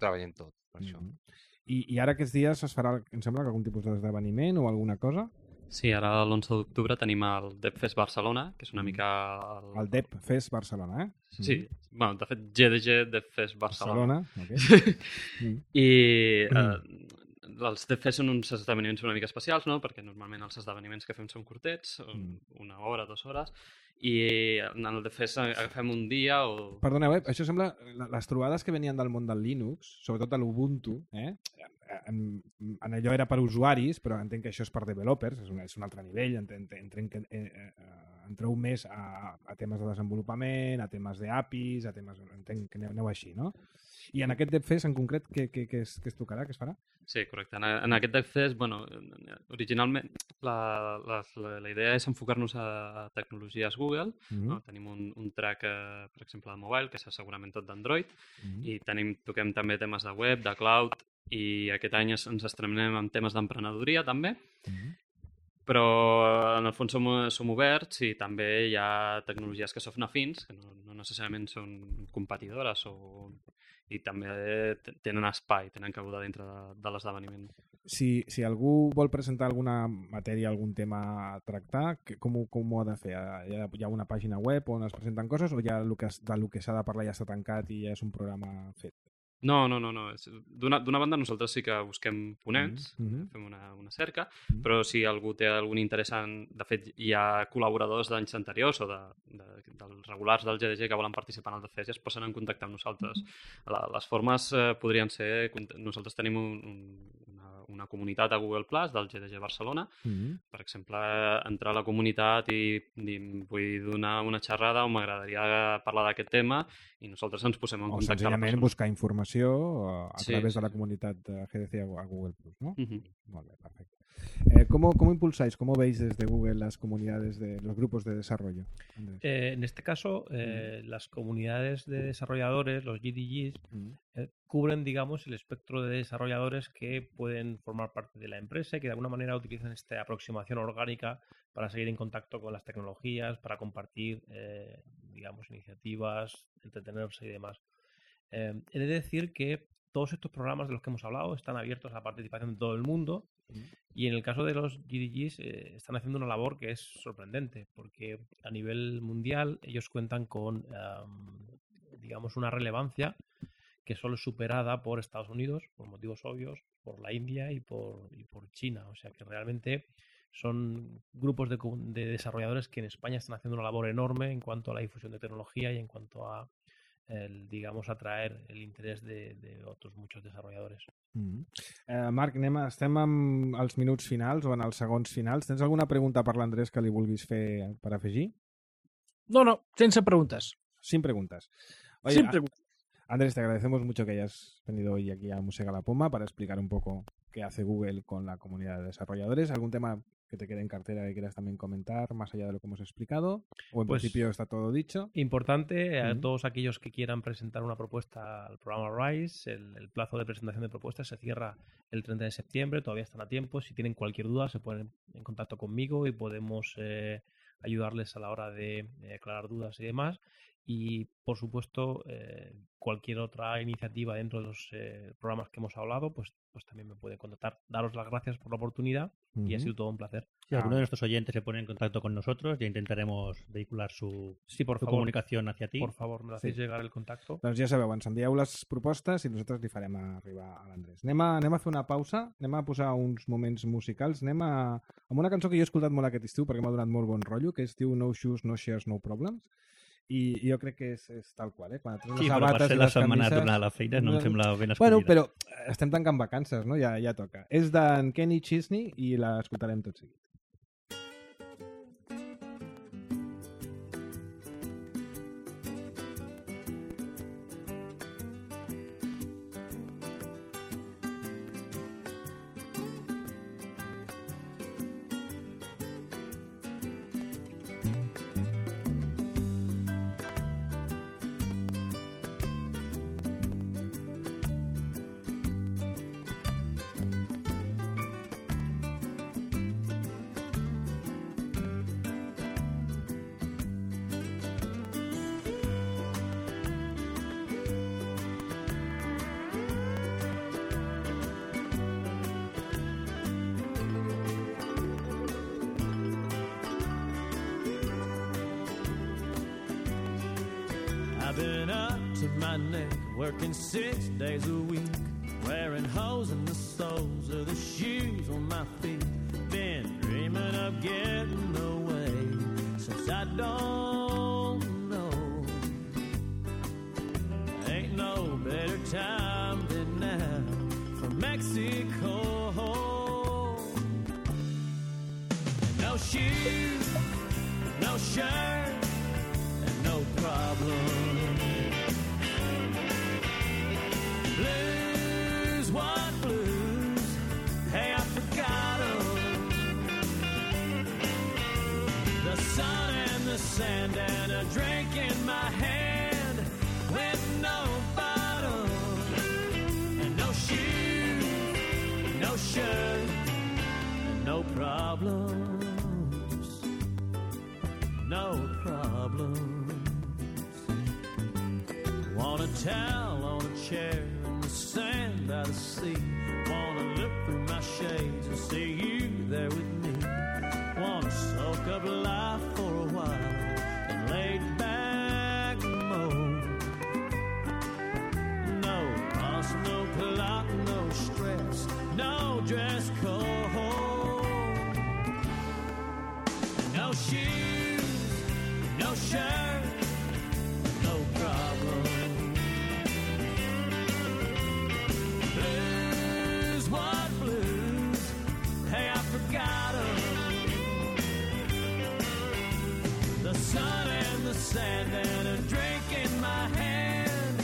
treballem tot per això. Mm-hmm. I, I ara aquests dies es farà, em sembla, que algun tipus d'esdeveniment o alguna cosa? Sí, ara l'onze d'octubre tenim el DevFest Barcelona, que és una mica... El, El Dev Fest Barcelona, eh? Sí, bueno, de fet, G D G DevFest Barcelona. Barcelona, ok. Mm. I eh, els DevFest són uns esdeveniments una mica especials, no? Perquè normalment els esdeveniments que fem són curtets, una hora, dues hores, i en el DevFest agafem un dia o... Perdoneu, eh? Això sembla... Les trobades que venien del món del Linux, sobretot de l'Ubuntu, eh? En, en allò era per usuaris, però entenc que això és per developers, és un, és un altre nivell, entenc, entenc que eh, eh, entreu més a, a temes de desenvolupament, a temes d'A P Is, a temes... Entenc que aneu, aneu així, no? I en aquest DevFest en concret, què, què, què, es, què es tocarà, què es farà? Sí, correcte. En, en aquest DevFest, bueno, originalment la, la, la, la idea és enfocar-nos a tecnologies Google. Mm-hmm. No? Tenim un, un track, eh, per exemple, de mobile, que és segurament tot d'Android, Mm-hmm. i tenim, toquem també temes de web, de cloud, i aquest any ens estrenem en temes d'emprenedoria també, Mm-hmm. però en el fons som, som oberts i també hi ha tecnologies que són afins, que no, no necessàriament són competidores o... i també tenen espai, tenen cabuda dintre de, de l'esdeveniment. Si, si algú vol presentar alguna matèria, algun tema a tractar, que, com, ho, com ho ha de fer? Hi ha, hi ha una pàgina web on es presenten coses o ja el que, del que s'ha de parlar ja està tancat i ja és un programa fet? No, no, no. no. D'una banda nosaltres sí que busquem ponents, Mm-hmm. fem una, una cerca, Mm-hmm. però si algú té algun interès en... De fet, hi ha col·laboradors d'anys anteriors o de, de, dels regulars del G D G que volen participar en el DevFest i es posen en contacte amb nosaltres. La, les formes eh, podrien ser... Nosaltres tenim un, un, una, una comunitat a Google Plus del G D G Barcelona. Mm-hmm. Per exemple, entrar a la comunitat i dir vull donar una xerrada o m'agradaria parlar d'aquest tema i nosaltres ens posem en O contacte amb la senzillament persona. buscar informació a Sí, través sí. de la comunitat de G D C a Google Plus, ¿no? Uh-huh. Molt bé, perfecto. Eh, ¿cómo, ¿Cómo impulsáis, cómo veis desde Google las comunidades de los grupos de desarrollo? Andrés. Eh, en este caso, eh, las comunidades de desarrolladores, los G D Gs, Mm. eh, cubren, digamos, el espectro de desarrolladores que pueden formar parte de la empresa y que de alguna manera utilizan esta aproximación orgánica para seguir en contacto con las tecnologías, para compartir, eh, digamos, iniciativas, entretenerse y demás. Eh, he de decir que todos estos programas de los que hemos hablado están abiertos a la participación de todo el mundo y en el caso de los G D Gs eh, están haciendo una labor que es sorprendente porque a nivel mundial ellos cuentan con, um, digamos, una relevancia que solo es superada por Estados Unidos, por motivos obvios, por la India y por, y por China. O sea que realmente son grupos de, de desarrolladores que en España están haciendo una labor enorme en cuanto a la difusión de tecnología y en cuanto a el, digamos, atraer el interès de, de otros muchos desarrolladores. Mm. Eh, Marc, anem, a- estem amb els minuts finals o en els segons finals. Tens alguna pregunta per l'Andrés que li vulguis fer per afegir? No, no, sense preguntas. Sin preguntas. Oye, Sin a- preguntas. Andrés, te agradecemos mucho que hayas venido hoy aquí a Musega la Poma para explicar un poco qué hace Google con la comunidad de desarrolladores. ¿Algún tema que te quede en cartera que quieras también comentar más allá de lo que hemos explicado? ¿O en Pues- principio está todo dicho? Importante a Ujú. todos aquellos que quieran presentar una propuesta al programa RISE, el, el plazo de presentación de propuestas se cierra el treinta de septiembre, todavía están a tiempo. Si tienen cualquier duda se ponen en contacto conmigo y podemos eh, ayudarles a la hora de eh, aclarar dudas y demás. Y, por supuesto, eh, cualquier otra iniciativa dentro de los eh, programas que hemos hablado, pues, pues también me pueden contactar. Daros las gracias por la oportunidad uh-huh. y ha sido todo un placer. Si alguno de nuestros oyentes se pone en contacto con nosotros, ya intentaremos vehicular su, sí, por su favor, comunicación hacia ti. Por favor, me hacéis sí. llegar el contacto. Doncs ja sabeu, ens envieu les propostes i nosaltres li farem arribar a l'Andrés. Anem, a, anem a fer una pausa, anem a posar uns moments musicals, anem a, amb una cançó que jo he escoltat molt aquest estiu perquè m'ha donat molt bon rotllo, que es diu No Shoes, No Shares, No Problems. I jo crec que és, és tal qual, eh? Quan et sí, però per ser la setmana de tornar a la feina no em sembla ben escollida. Bueno, però estem tancant vacances, no? Ja, ja toca. És d'en Kenny Chesney i l'escoltarem tot seguit. I've been up to my neck, working six days a week, wearing holes in the soles of the shoes on my feet. Been dreaming of getting away since I don't know. Ain't no better time than now for Mexico. And no shoes, no shirt, and no problem. Blues, what blues? Hey, I forgot 'em. The sun and the sand and a drink in my hand with no bottom. And no shoes, no shirt, and no problems. No problems. Want a towel on a chair in the sand by the sea. Wanna look through my shades and see you there with me. Wanna soak up life for a while and lay back mode. No boss, no clock, no stress, no dress code. No shoes, no shirt, no problem. Blues, what blues? Hey, I forgot 'em. The sun and the sand and a drink in my hand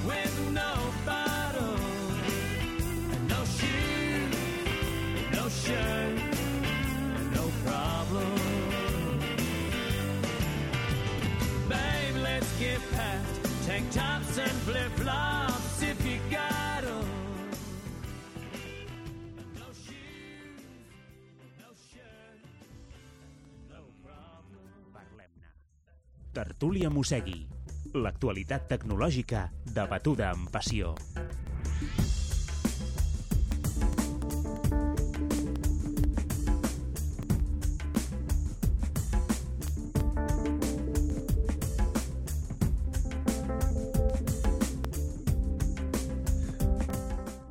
with no bottom. And no shoes, no shirt, no problem. Babe, let's get packed. Tank tops and flip-flops if you got 'em. No shoes, no shirt, no problem. Parlem-ne. Tertúlia Mossegui. L'actualitat tecnològica debatuda amb passió.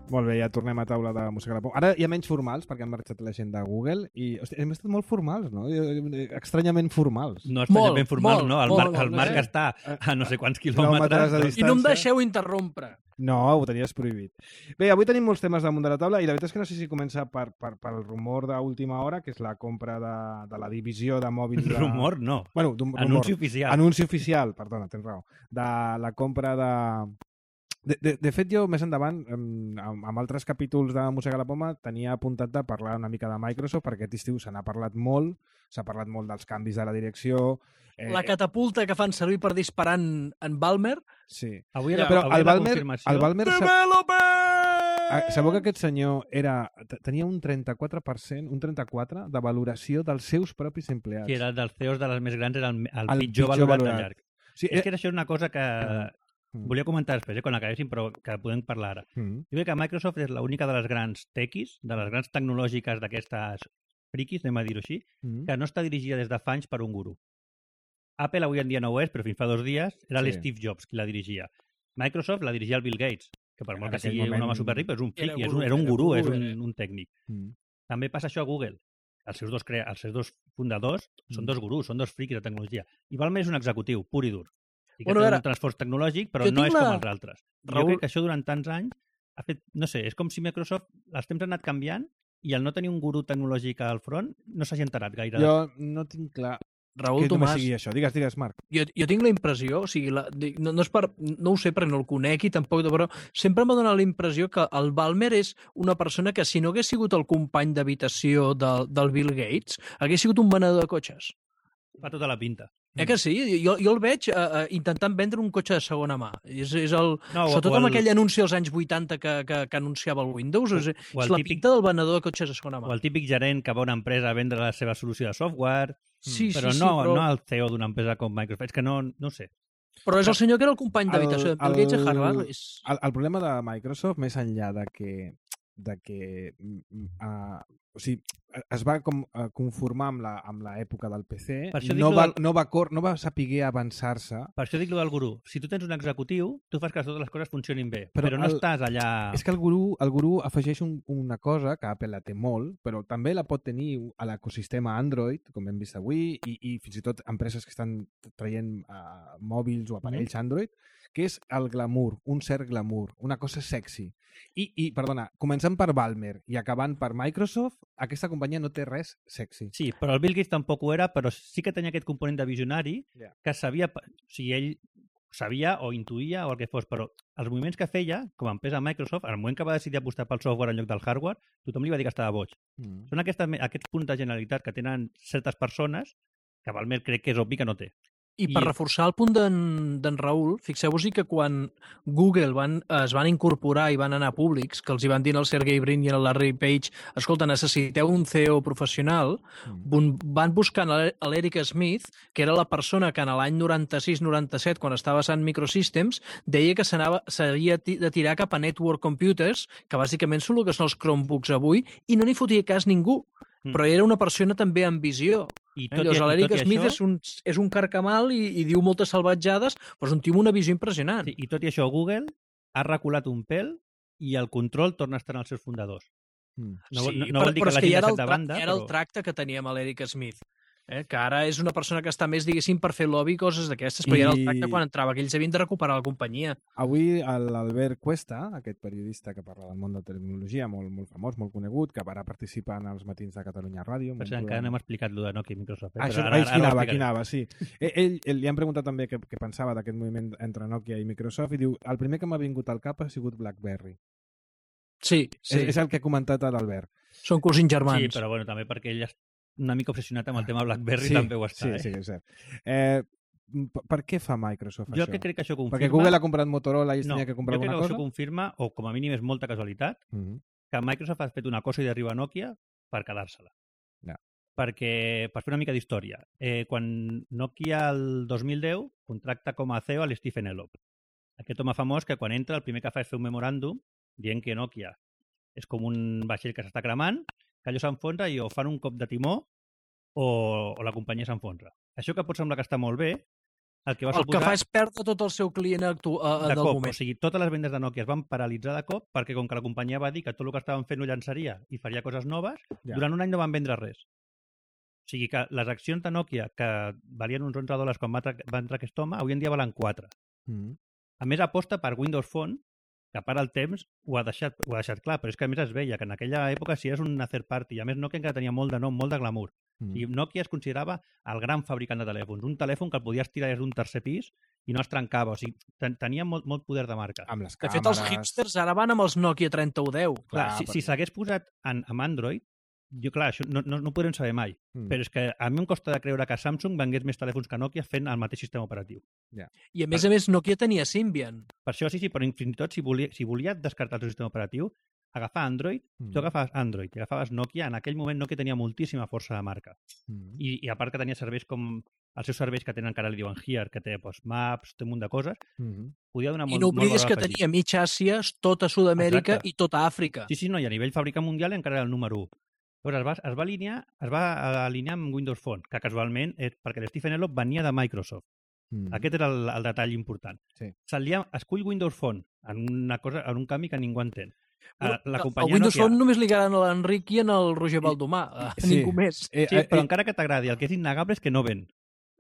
Molt bé, ja tornem a taula de música a la poma. Ara hi ha menys formals, perquè han marxat la gent de Google, i hòstia, hem estat molt formals, no? Estranyament formals. No estranyament Molt, formals, molt, no? El, molt, Marc, el molt, Marc eh? està a no sé quants Quilòmetres de quilòmetres. I no em deixeu interrompre. No, ho tenies prohibit. Bé, avui tenim molts temes damunt de la taula i la veritat és que no sé si comença per, per, pel rumor d'última hora, que és la compra de, de la divisió de mòbils... De... Rumor, no. Bueno, d'un rumor. Anunci oficial. Anunci oficial, perdona, tens raó. De la compra de... De, de, de fet, jo més endavant, amb, amb altres capítols de Mossega la Poma, tenia apuntat de parlar una mica de Microsoft, perquè aquest estiu se n'ha parlat molt, s'ha parlat molt dels canvis de la direcció... Eh, la catapulta que fan servir per disparar en, en Balmer. Sí. Avui era, però avui el la Balmer, confirmació... el Balmer Developer! sabeu que aquest senyor era, tenia un trenta-quatre per cent, un trenta-quatre de valoració dels seus propis empleats. Que era dels C E Os de les més grans, era el, el, el pitjor, pitjor valorat, valorat de llarg. Sí, és que això és una cosa que Mm. volia comentar després, eh, quan acabéssim, però que podem parlar ara. Mm. Jo crec que Microsoft és l'única de les grans techies, de les grans tecnològiques d'aquestes friquis, anem a dir-ho així, Mm. que no està dirigida des de fa anys per un gurú. Apple avui en dia no ho és, però fins fa dos dies era Sí. l'Steve Jobs qui la dirigia. Microsoft la dirigia el Bill Gates, que per molt En que sigui aquell un moment home superric, però és un era friqui, és gurú, un, era un era gurú, gurú, és era. un, un tècnic. Mm. També passa això a Google. Els seus dos, crea... els seus dos fundadors són Mm. dos gurús, són dos friquis de tecnologia. I Balmer és un executiu, pur i dur. I que Bueno, té ara, un transfors tecnològic, però jo no tinc és la- com els altres. I Raül- Jo crec que això durant tants anys ha fet, no sé, és com si Microsoft, els temps han anat canviant i al no tenir un gurú tecnològic al front no s'hagi enterat gaire. Jo no tinc clar Raül que només Tomàs, sigui això. Digues, digues, Marc. jo, jo tinc la impressió, o sigui, la, dic, no, no, és per, no ho sé perquè no el conec i tampoc, però sempre m'ha donat la impressió que el Balmer és una persona que si no hagués sigut el company d'habitació del, del Bill Gates, hagués sigut un venedor de cotxes. Fa tota la pinta. Eh que sí? Jo, jo el veig uh, uh, intentant vendre un cotxe de segona mà. És, és el, No, o- sobretot o amb el- aquell anunci als anys vuitanta que, que, que anunciava el Windows. És, o és el la típic- pinta del venedor de cotxes de segona mà. O el típic gerent que va a una empresa a vendre la seva solució de software, Sí, però, sí, no, sí, però, no el C E O d'una empresa com Microsoft. És que no, no ho sé. però és el senyor que era el company d'habitació de Bill El- Gates a el- Harvard. És... El, el problema de Microsoft, més enllà de que, de que uh, o sigui, es va com, uh, conformar amb la- amb l'època del P C, Per això dic no lo va, del- no, va cor, no va saber avançar-se. Per això dic lo del gurú. Si tu tens un executiu, tu fas que totes les coses funcionin bé, Però però, no el- estàs allà... És que el gurú, el gurú afegeix un, una cosa que Apple la té molt, però també la pot tenir a l'ecosistema Android, com hem vist avui, i, i fins i tot empreses que estan traient uh, mòbils o aparells Mhm. Android, que és el glamour, un cert glamour, una cosa sexy. I, i perdona, començant per Balmer i acabant per Microsoft, aquesta companyia no té res sexy. Sí, però el Bill Gates tampoc ho era, però sí que tenia aquest component de visionari Ja. que sabia, o sigui, ell sabia o intuïa o el que fos, però els moviments que feia, com a empresa Microsoft, al moment que va decidir apostar pel software en lloc del hardware, tothom li va dir que estava boig. Mm. Són aquestes, aquests punts de generalitat que tenen certes persones que Balmer crec que és obvi que no té. I per I- reforçar el punt d'en Raül, fixeu-vos que quan Google van, es van incorporar i van anar públics, que els hi van dir al Sergey Brin i al Larry Page, escolta, necessiteu un C E O professional, Mm. van buscant a l'Eric Smith, que era la persona que en l'any noranta-sis noranta-set, quan estava a Sun Microsystems, deia que s'anava- s'havia ti- de tirar cap a Network Computers, que bàsicament són el que són els Chromebooks avui, i no n'hi fotia cas ningú. Mm. Però era una persona també amb visió. I Eh? tot, i, Llavors, i l'Eric tot i Smith això, és un, és un carcamal i, i diu moltes salvatjades, però és un tio amb una visió impressionant. sí, i tot i això, Google ha reculat un pèl i el control torna a estar en els seus fundadors. Mm. No, vol- no, però, no vol dir però que és que l'hagin ja era, deixat el, de tra- banda, era el però... tracte que teníem a l'Eric Smith, eh? que ara és una persona que està més, diguéssim, per fer lobby i coses d'aquestes, però I... ja era el I- tracte quan entrava, que ells havien de recuperar la companyia. Avui l'Albert Cuesta, aquest periodista que parla del món de la tecnologia, molt, molt famós, molt conegut, que ara participa en els matins de Catalunya Ràdio. amb Per un cert, encara programa- no hem explicat lo de Nokia i Microsoft. Eh? Ah, això, però ara, aquí ho anava, aquí explicaré. anava, sí. Eh, Ell, ell li han preguntat també què, què pensava d'aquest moviment entre Nokia i Microsoft i diu, el primer que m'ha vingut al cap ha sigut BlackBerry. Sí, sí, És, és el que ha comentat l'Albert. són cosins germans. Sí, però bueno, també perquè ell és una mica obsessionat amb el tema BlackBerry, sí, també ho està. sí, eh? sí, és cert. Eh, per, per què fa Microsoft Jo això? que crec que això confirma... Perquè Google ha comprat Motorola i es no, tenia que comprar jo crec alguna que cosa? això confirma, o com a mínim és molta casualitat, Mm -hmm. que Microsoft ha fet una cosa i d'arribar a Nokia per quedar-se-la. Ja. Perquè, per fer una mica d'història, eh, quan Nokia el dos mil deu contracta com a C E O a l'Stephen Elop. Aquest home famós que quan entra el primer que fa és fer un memoràndum dient que Nokia és com un vaixell que s'està cremant, que allò s'enfonsa i o fan un cop de timó o, o la companyia s'enfonsa. Això que pot semblar que està molt bé, el que va El suposar... que fa és perdre tot el seu client actu uh, de del cop, moment. o sigui, totes les vendes de Nokia es van paralitzar de cop perquè com que la companyia va dir que tot el que estaven fent ho llançaria i faria coses noves, Ja. durant un any no van vendre res. O sigui que les accions de Nokia, que valien uns onze dòlars quan va, tra va entrar aquest home, avui en dia valen quatre. Mm -hmm. A més, aposta per Windows Phone, que para el temps ho ha, deixat, ho ha deixat clar, però és que a més es veia que en aquella època si eres una third party, i a més Nokia encara tenia molt de nom, molt de glamour. Mm O sigui, Nokia es considerava el gran fabricant de telèfons, un telèfon que el podies tirar des d'un tercer pis i no es trencava, o sigui, ten tenia molt, molt poder de marca. Amb les De càmeres... fet, els hipsters ara van amb els Nokia trenta u deu. Clar, Clar, si perquè- si s'hagués posat en, amb Android, jo, clar, això no, no, no ho podrem saber mai, Mm. però és que a mi em costa de creure que Samsung vengués més telèfons que Nokia fent el mateix sistema operatiu. I a més a més Nokia tenia Symbian. Per això sí, sí, però fins i tot si volia, si volia descartar el seu sistema operatiu, agafar Android, Mm. tu agafaves Android i agafaves Nokia, en aquell moment Nokia tenia moltíssima força de marca. Mm. I, i a part que tenia serveis com els seus serveis que tenen, que ara li diuen Here, que té pues, maps, té un munt de coses, Mm. podia donar I molt, no molt oblidis valor que afegit. tenia mig Àsia, tota Sud-amèrica Exacte. i tota Àfrica. Sí, sí, no, i a nivell fàbrica mundial encara era el número u. Llavors es va, es va, alinear, es va alinear amb Windows Phone, que casualment, és perquè l'Stephen Elop venia de Microsoft. Mm. Aquest era el, el detall important. Sí. Se'l lia, escull Windows Phone en, una cosa, en un canvi que ningú entén. Però, La el companyia Windows Nokia... Phone només li agraden a l'Enric i en el Roger Baldomà, a Sí. ningú més. Eh, Sí, eh, però eh, encara que t'agradi, el que és innegable és que no ven.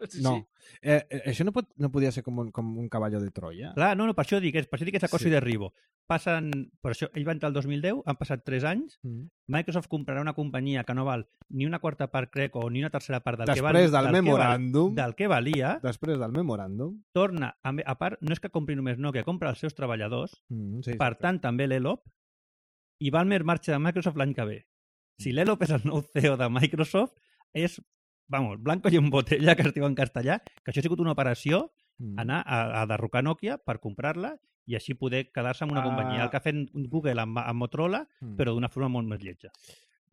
Sí, No. sí. Eh, eh, això no, pot, no podia ser com un, com un cavalló de Troia? Clar, no, no, per això dic, és, per això dic que és acoso Sí. i derribo. Passen, per això, ell va entrar el dos mil deu, han passat tres anys, Mm. Microsoft comprarà una companyia que no val ni una quarta part, crec, o ni una tercera part del que val, Després del que val- memoràndum, del que valia, després del memoràndum... torna, a, a part, no és que compri només Nokia, compra els seus treballadors, Mm, sí, per tant, també l'Elop, i Ballmer marxa de Microsoft l'any que ve. Si l'Elop és el nou C E O de Microsoft, és, vamos, blanco i en botella, que es diu en castellà, que això ha sigut una operació, Mm. anar a, a derrocar Nokia per comprar-la i així poder quedar-se amb una Ah. companyia. El que ha fet Google amb, amb Motorola, Mm. però d'una forma molt més lletja.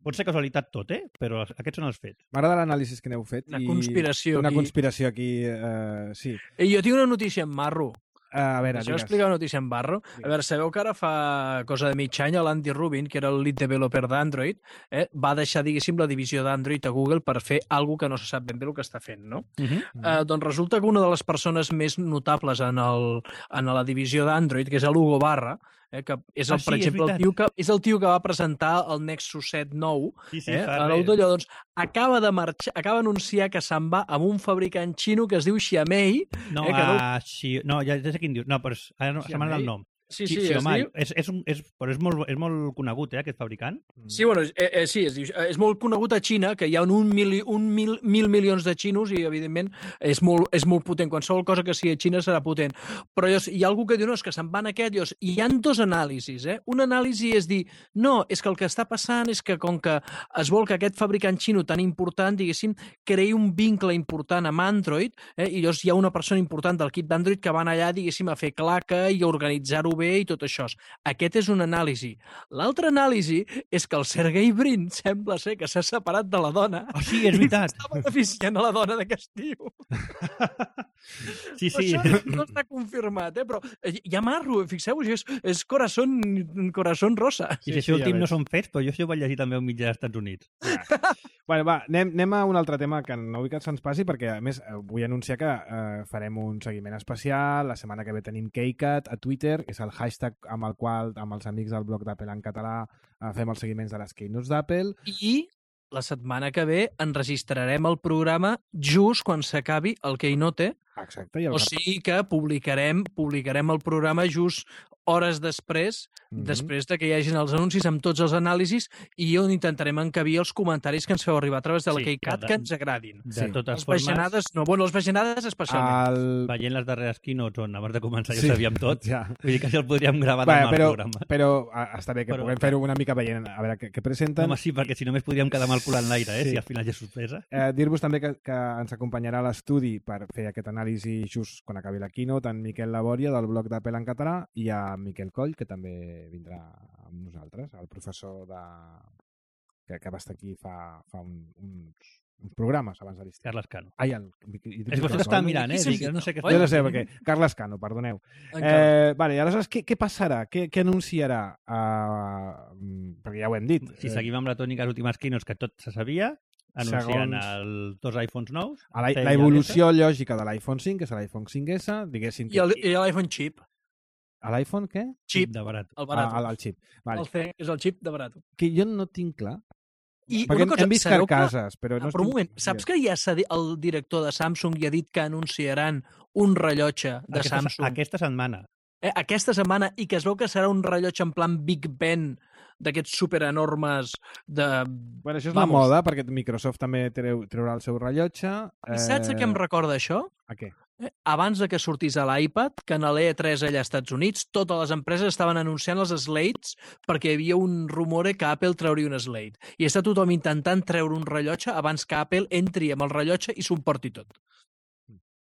Pot ser casualitat tot, eh? Però aquests són els fets. M'agrada l'anàlisi que n'heu fet. Una i conspiració Una aquí. conspiració aquí, eh, sí. I jo tinc una notícia en marro. Uh, a veure, Això digues. explica una notícia en barro. A veure, sabeu que ara fa cosa de mig any l'Andy Rubin, que era el lead developer d'Android, eh, va deixar, diguéssim, la divisió d'Android a Google per fer alguna que no se sap ben bé el que està fent, no? Uh -huh. Mm. Eh, doncs resulta que una de les persones més notables en, el, en la divisió d'Android, que és l'Hugo Barra, eh, que és, el, Ah, per sí, és exemple, el veritat. tio que, és el tio que va presentar el Nexus set nou, Sí, sí, eh, fa a res. l'U d'allò, doncs, acaba de marxar, acaba d'anunciar que se'n va amb un fabricant xino que es diu Xiaomi. No, eh, que no- uh, Xi... no ja, ja sé quin dius. No, però és, ara no, se m'ha anat el nom. Sí, Xi- sí, es Xiaomi. diu... És, és, un, és, però és molt, és molt conegut, eh, aquest fabricant. Sí, bueno, eh, eh, sí, es diu, eh, és molt conegut a Xina, que hi ha un, mili, un mil, mil milions de xinos i, evidentment, és molt, és molt potent. Qualsevol cosa que sigui a Xina serà potent. Però llavors, hi ha algú que diu, no, és que se'n van aquest, llavors, i hi ha dos anàlisis. Eh? Una anàlisi és dir, no, és que el que està passant és que com que es vol que aquest fabricant xino tan important, diguéssim, creï un vincle important amb Android, eh? i llavors hi ha una persona important del kit d'Android que van allà, diguéssim, a fer claca i a organitzar-ho bé i tot això. Aquest és una anàlisi. L'altra anàlisi és que el Sergey Brin sembla ser que s'ha separat de la dona. Oh, sí, és veritat. I està beneficiant a la dona d'aquest tio. Sí, sí. Això no està confirmat, eh? Però hi ha marro, fixeu-vos, és, és corazón, corazón rosa. I si Sí, això sí, ja últim no veig. són fets, però jo això ho vaig llegir també a un mitjà dels Estats Units. Bueno, va, anem, anem a un altre tema que no vull que se'ns passi, perquè, a més, eh, vull anunciar que eh, farem un seguiment especial. La setmana que ve tenim KeyCat a Twitter, és el hashtag amb el qual, amb els amics del blog d'Apple en català, eh, fem els seguiments de les Keynotes d'Apple. I la setmana que ve enregistrarem el programa just quan s'acabi el Keynote, Exacte. I el o sigui que publicarem, publicarem el programa just hores després, Mhm. després de que hi hagin els anuncis amb tots els anàlisis i on intentarem encabir els comentaris que ens feu arribar a través de la Sí, KeyCat de- que ens agradin. De Sí. totes Les formes, bajanades, no, bueno, les bajanades especialment. El... veient les darreres keynotes on abans de començar ja Sí, sabíem tot, Ja. vull dir que si el podríem gravar Va, demà però, al programa. però a, està bé que Però- puguem fer-ho una mica veient a veure què, què presenten. Home, sí, perquè si només podríem quedar amb el cul en l'aire, eh? Sí. Si al final ja és sorpresa. Eh, Dir-vos també que, que ens acompanyarà a l'estudi per fer aquest anàlisi just quan acabi la keynote en Miquel Labòria del blog d'Apple en català i a Miquel Coll, que també vindrà amb nosaltres, el professor de... que, que va estar aquí fa, fa un, uns, uns programes abans de l'estiu. Carles Cano. Ai, el... És que vostè l'estava mirant, eh? Qui Dic, s'ha no sé què dit? Jo està... no sé, perquè... Carles Cano, perdoneu. Encara. Eh, vale, aleshores, què, què passarà? Què, què anunciarà? Uh, perquè ja ho hem dit. Si seguim amb la tònica de les últimes keynotes que tot se sabia, anunciant Segons- els dos iPhones nous. A la, C i la evolució lògica de l'iPhone cinc, que és l'iPhone cinc esse, diguéssim... I el- i l'iPhone chip. A l'iPhone què? Chip, de barat. el barat. Ah, el, el xip. Vale. El C és el xip de barat. Que jo no tinc clar. I Perquè una cosa, hem vist sabeu que- carcasses, però no Ah, però un moment, saps que ja s'ha dit, el director de Samsung ja ha dit que anunciaran un rellotge de Aquesta, Samsung aquesta setmana. eh, aquesta setmana i que es veu que serà un rellotge en plan Big Ben d'aquests superenormes de... Bueno, això és Vamos. la moda, perquè Microsoft també treu, treurà el seu rellotge. I saps a què em recorda això? A què? Eh, Abans de que sortís a l'iPad, que en l'E tres allà als Estats Units, totes les empreses estaven anunciant els Slates perquè hi havia un rumore que Apple trauria un Slate. I està tothom intentant treure un rellotge abans que Apple entri amb el rellotge i s'ho emporti tot.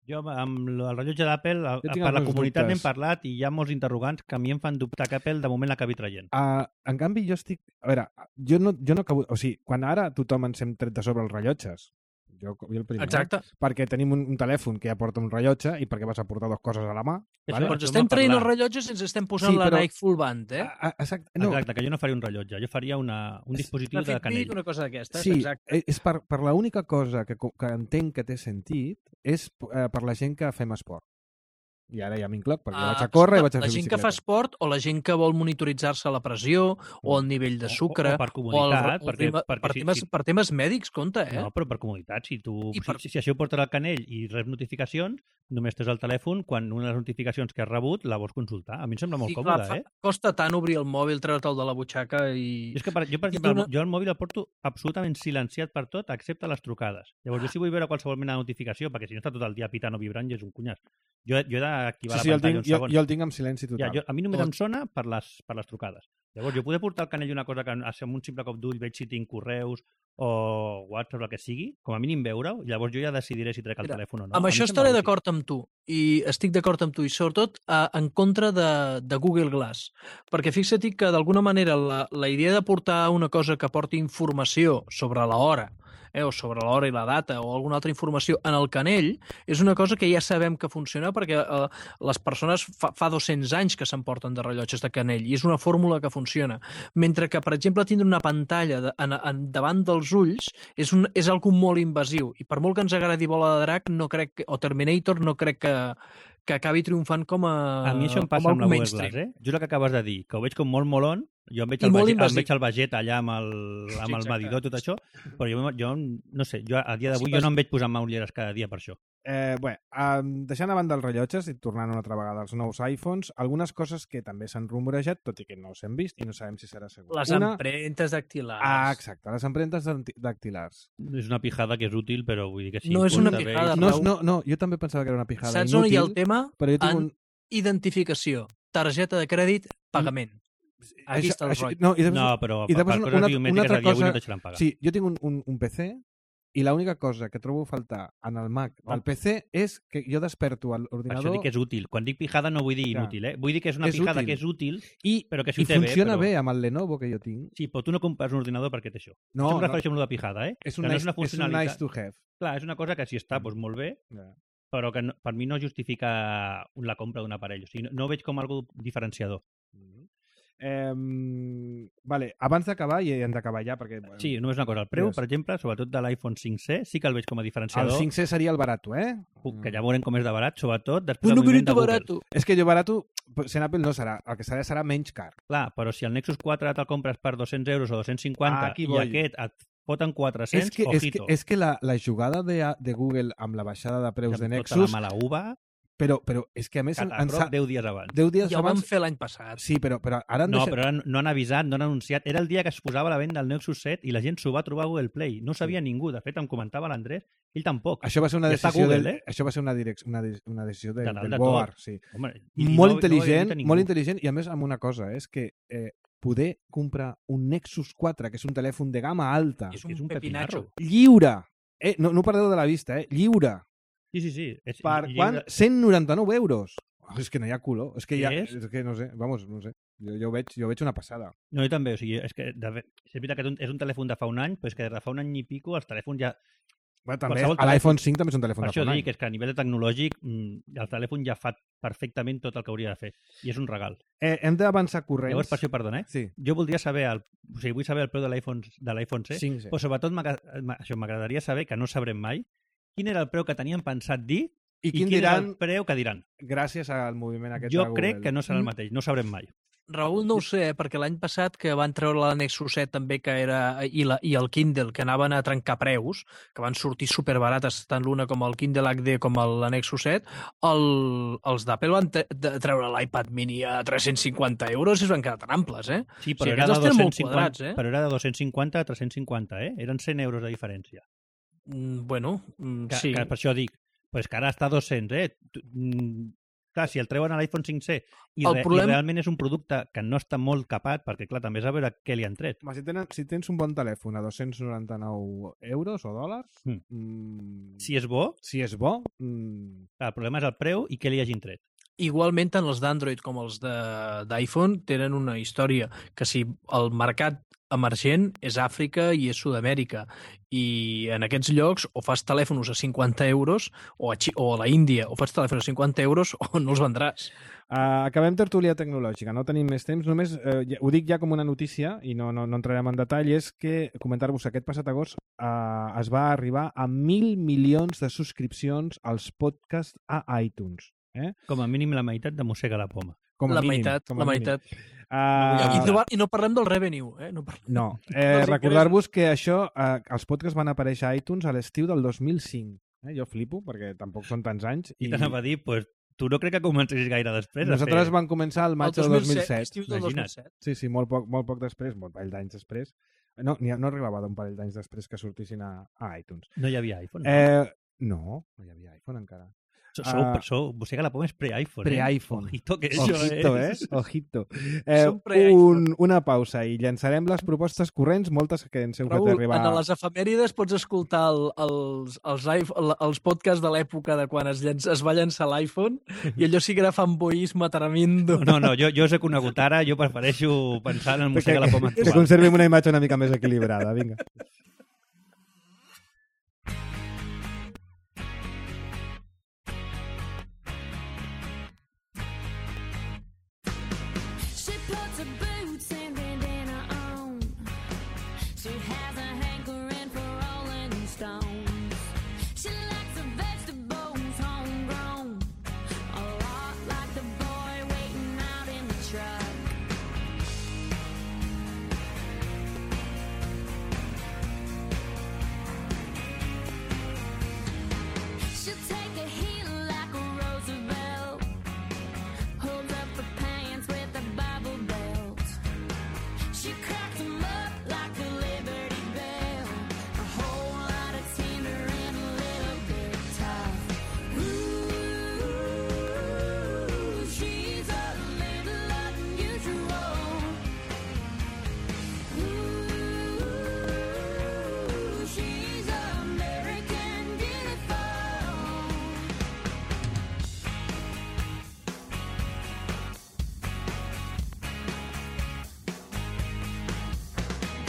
Jo, amb el rellotge d'Apple, a- Jo tinc per la alguns comunitat dubtes. n'hem parlat i hi ha molts interrogants que a mi em fan dubtar que Apple de moment l'acabi traient. Uh, en canvi, jo estic... A veure, jo no, jo no acabo... O sigui, quan ara tothom ens hem tret de sobre els rellotges, jo, jo el primer, Exacte. perquè tenim un, un telèfon que ja porta un rellotge i perquè vas a portar dues coses a la mà. Això- Vale? Però ens això estem m'ha traient els parlat. rellotges i ens estem posant Sí, la però- Nike Full Band, eh? Ah, ah, exacte. No, Exacte, que jo no faria un rellotge, jo faria una, un dispositiu Una de Fitbit, canell. una cosa d'aquestes, sí, exacte. eh, és per, per l'única cosa que, co- que entenc que té sentit és eh, per la gent que fem esport. I ara ja m'incloc, perquè Ah, vaig a córrer i vaig a la fer gent que bicicleta. fa esport o la gent que vol monitoritzar-se la pressió o el nivell de sucre O, o per o el, comoditat, el perquè, tema, perquè per, si, temes, si, per temes mèdics, compte, eh? no, però per comoditat, si tu I per- si, si això ho portes al canell i reps notificacions, només tens el telèfon quan una de les notificacions que has rebut la vols consultar. A mi em sembla molt Sí, còmode, clar, fa- eh? Costa tant obrir el mòbil, treure'l de la butxaca i... Jo és que, per, jo, per I exemple, d'una- jo el mòbil el porto absolutament silenciat per tot, excepte les trucades. Llavors, jo si vull veure qualsevol mena de notificació, perquè si no està tot el dia pitant o vibrant, ja és un cunyàs. Jo, jo he d'activar Sí, sí, la el pantalla tinc, un jo, segon. jo el tinc amb silenci total. Ja, jo, a mi només Tot. em sona per les, per les trucades. Llavors, jo poder portar al canell una cosa que amb un simple cop d'ull veig si tinc correus o WhatsApp, el que sigui, com a mínim veure-ho, i llavors jo ja decidiré si trec el Mira, telèfon o no. amb A mi això em sembla estaré útil. d'acord amb tu, i estic d'acord amb tu, i sobretot eh, en contra de, de Google Glass, perquè fixa't que d'alguna manera la, la idea de portar una cosa que porti informació sobre l'hora, eh, o sobre l'hora i la data, o alguna altra informació en el canell, és una cosa que ja sabem que funciona perquè eh, les persones fa, fa dos-cents anys que s'emporten de rellotges de canell, i és una fórmula que funciona. Mentre que, per exemple, tindre una pantalla de, en, en, davant dels ulls és, un, és algo molt invasiu, i per molt que ens agradi Bola de Drac, no crec que, o Terminator, no crec que, que acabi triomfant com a A mi això em com passa amb algo la Google mainstream. Glass, eh? Just el que acabes de dir, que ho veig com molt molon, jo em veig I el, molt Vegeta, em invasiu. veig el Vegeta allà amb el, amb el exacte. medidor i tot això, però jo, jo no sé, jo a dia d'avui Sí, jo vas- no em veig posant ulleres cada dia per això. Eh, bé, um, deixant a banda els rellotges i tornant una altra vegada als nous iPhones, algunes coses que també s'han rumorejat, tot i que no s'han vist i no sabem si serà segur. Les una... empremtes dactilars. Ah, exacte, les empremtes danti- dactilars. És una pijada que és útil, però vull dir que sí. No és una porta bé. pijada, No, Raül. no, no, jo també pensava que era una pijada Saps inútil, on hi ha el tema? però jo tinc En un... identificació, targeta de crèdit, pagament. Aquí està el rotllo. no, i després, No, però I per, després per una- coses una- biomètriques una altra a dia d'avui cosa- no te deixaran pagar. Sí, jo tinc un, un, un P C i l'única cosa que trobo a faltar en el Mac del Oh. P C és que jo desperto Per això l'ordinador dic que és útil. Quan dic pijada no vull dir Clar. inútil, eh? Vull dir que és una És pijada útil. que és útil, i, però que si i ho té bé, funciona però- bé amb el Lenovo que jo tinc. Sí, però tu no compres un ordinador perquè té això. No, això em no. refereixo amb lo de pijada, eh? És un, que no nice, és una és un funcionalitat. nice to have. Clar, és una cosa que si està, doncs molt bé, Ja. però que no, per mi no justifica la compra d'un aparell. O sigui, no, no ho veig com algo diferenciador. Mhm. Eh, vale, abans d'acabar, i hem d'acabar ja, perquè... Bueno, Sí, només una cosa. El preu, Digues. per exemple, sobretot de l'iPhone cinc C, sí que el veig com a el diferenciador. cinc C seria el barato, eh? Que ja veurem com és de barat, sobretot després Un del moviment de numerito Google. barato. És que jo barato, sent Apple no serà. El que serà serà menys car. Clar, però si el Nexus quatre te'l compres per dos-cents euros o dos-cents cinquanta Ah, aquí i voy. aquest et foten quatre-cents, És que, és que, ojito. és que la, la jugada de, de Google amb la baixada de preus de Amb Nexus, tota la mala uva, però, però és que a més... catarro, deu dies abans. deu dies Ja ho vam abans... fer l'any passat. Sí, però, però ara han No, deixat... però ara no han avisat, no han anunciat. Era el dia que es posava a la venda el Nexus set i la gent s'ho va trobar a Google Play. No ho sabia ningú. De fet, em comentava l'Andrés, ell tampoc. Això va ser una I està decisió, Google, del, eh? això va ser una, direc una, de- una decisió de, De dalt del de board, tot. sí. Home, i- i Molt no- intel·ligent, no ho havia dit a molt ningú. intel·ligent, i a més amb una cosa, és que eh, poder comprar un Nexus quatre, que és un telèfon de gamma alta, És que és un un pepinacho. pepinarro. lliure, eh, no, no ho perdeu de la vista, eh, lliure, Sí, sí, sí. És, per i- i- quan? cent noranta-nou euros. Oh, és que no hi ha color, és que Què ja, és? és que no sé, vamos, no sé, jo, jo, ho veig, jo ho veig una passada. No, jo també. O sigui, és que de, fet, és veritat que és un, és un telèfon de fa un any, però és que des de fa un any i pico els telèfons ja... Bueno, també, Qualsevol l'iPhone cinc també és un telèfon Per de això fa un any. dic que és que a nivell de tecnològic mm, el telèfon ja fa perfectament tot el que hauria de fer. I és un regal. Eh, hem d'avançar corrents. Llavors, per això, perdona, eh? Sí, Jo voldria saber, el, o sigui, vull saber el preu de l'iPhone de l'iPhone C, cinc C. però sobretot m'agra- m'a- això m'agradaria saber, que no sabrem mai, quin era el preu que tenien pensat dir I i quin quin era diran, el preu que diran. gràcies al moviment aquest Jo de Google. crec que no serà el mateix, no ho sabrem mai. Raül, no ho sé, eh, perquè l'any passat que van treure la Nexus set també, que era, i, la, i el Kindle, que anaven a trencar preus, que van sortir superbarates, tant l'una com el Kindle H D com el, la Nexus set, el, els d'Apple van tre de treure l'iPad mini a tres-cents cinquanta euros i es van quedar tan amples, eh? Sí, O però, sigui, era, aquests de els tenen molt dos-cents cinquanta, quadrats, eh? però era de dos-cents cinquanta a tres-cents cinquanta, eh? Eren cent euros de diferència. Mm, bueno, mm, Que, sí. que per això dic, pues que ara està a dos-cents, eh? Tu- mm, Clar, si el treuen a l'iPhone cinc C i, El re, problema- i realment és un producte que no està molt capat, perquè clar, també és a veure què li han tret. Home, si, tenen, si tens un bon telèfon a dos-cents noranta-nou euros o dòlars, Mm. mm, Si és bo, si és bo, mm, clar, el problema és el preu i què li hagin tret. Igualment, tant els d'Android com els de- d'iPhone tenen una història, que si el mercat emergent és Àfrica i és Sud-amèrica, i en aquests llocs o fas telèfons a cinquanta euros o a, Xi o a la Índia o fas telèfons a cinquanta euros o no els vendràs. Uh, acabem tertúlia tecnològica, no tenim més temps, només uh, ja, ho dic ja com una notícia i no, no, no entrarem en detall, és que comentar-vos que aquest passat agost uh, es va arribar a mil milions de subscripcions als podcasts a iTunes. Eh? Com a mínim la meitat de mossega la poma. Com a La mínim, meitat, com a la mínim. meitat. Uh, I, no, I no parlem del revenue, eh? No, parlem... no. dels Eh, ingressos. recordar-vos que això, eh, els podcasts van aparèixer a iTunes a l'estiu del dos mil cinc. Eh? Jo flipo, perquè tampoc són tants anys. I, I t'anava a dir, pues, tu no crec que comencessis gaire després. Nosaltres a fer... vam començar al maig El del dos mil set. estiu del dos mil Imagina't. set. Sí, sí, molt poc, molt poc després, un parell d'anys després. No, ni, no arribava d'un parell d'anys després que sortissin a, a iTunes. No hi havia iPhone. No? Eh, no, no hi havia iPhone encara. So, sou, ah, sou, mossega la poma és pre-iPhone. Pre-iPhone. Eh? Ojito, que això Ojito, eh? és... Ojito. Eh, Som pre-iPhone. un, una pausa i llançarem les propostes corrents, moltes que ens heu fet Raül, arribar. en les efemèrides pots escoltar el, els, els, iPhone, els podcasts de l'època de quan es, llenç, es va llançar l'iPhone i allò sí que era fanboisme tremendo. No, no, jo, jo us he conegut ara, jo prefereixo pensar en el mossega la poma Que actual. conservem una imatge una mica més equilibrada, vinga. She puts her boots and bandana on. She has a hankering for rolling stones. She likes her vegetables homegrown, a lot like the boy waiting out in the truck. She'll take a heel like a Roosevelt, holds up her pants with a Bible belt. She cracks 'em up like a Liberty Bell, a whole lot of tender and a little bit tough. Ooh, she's a little unusual. Ooh, she's American beautiful.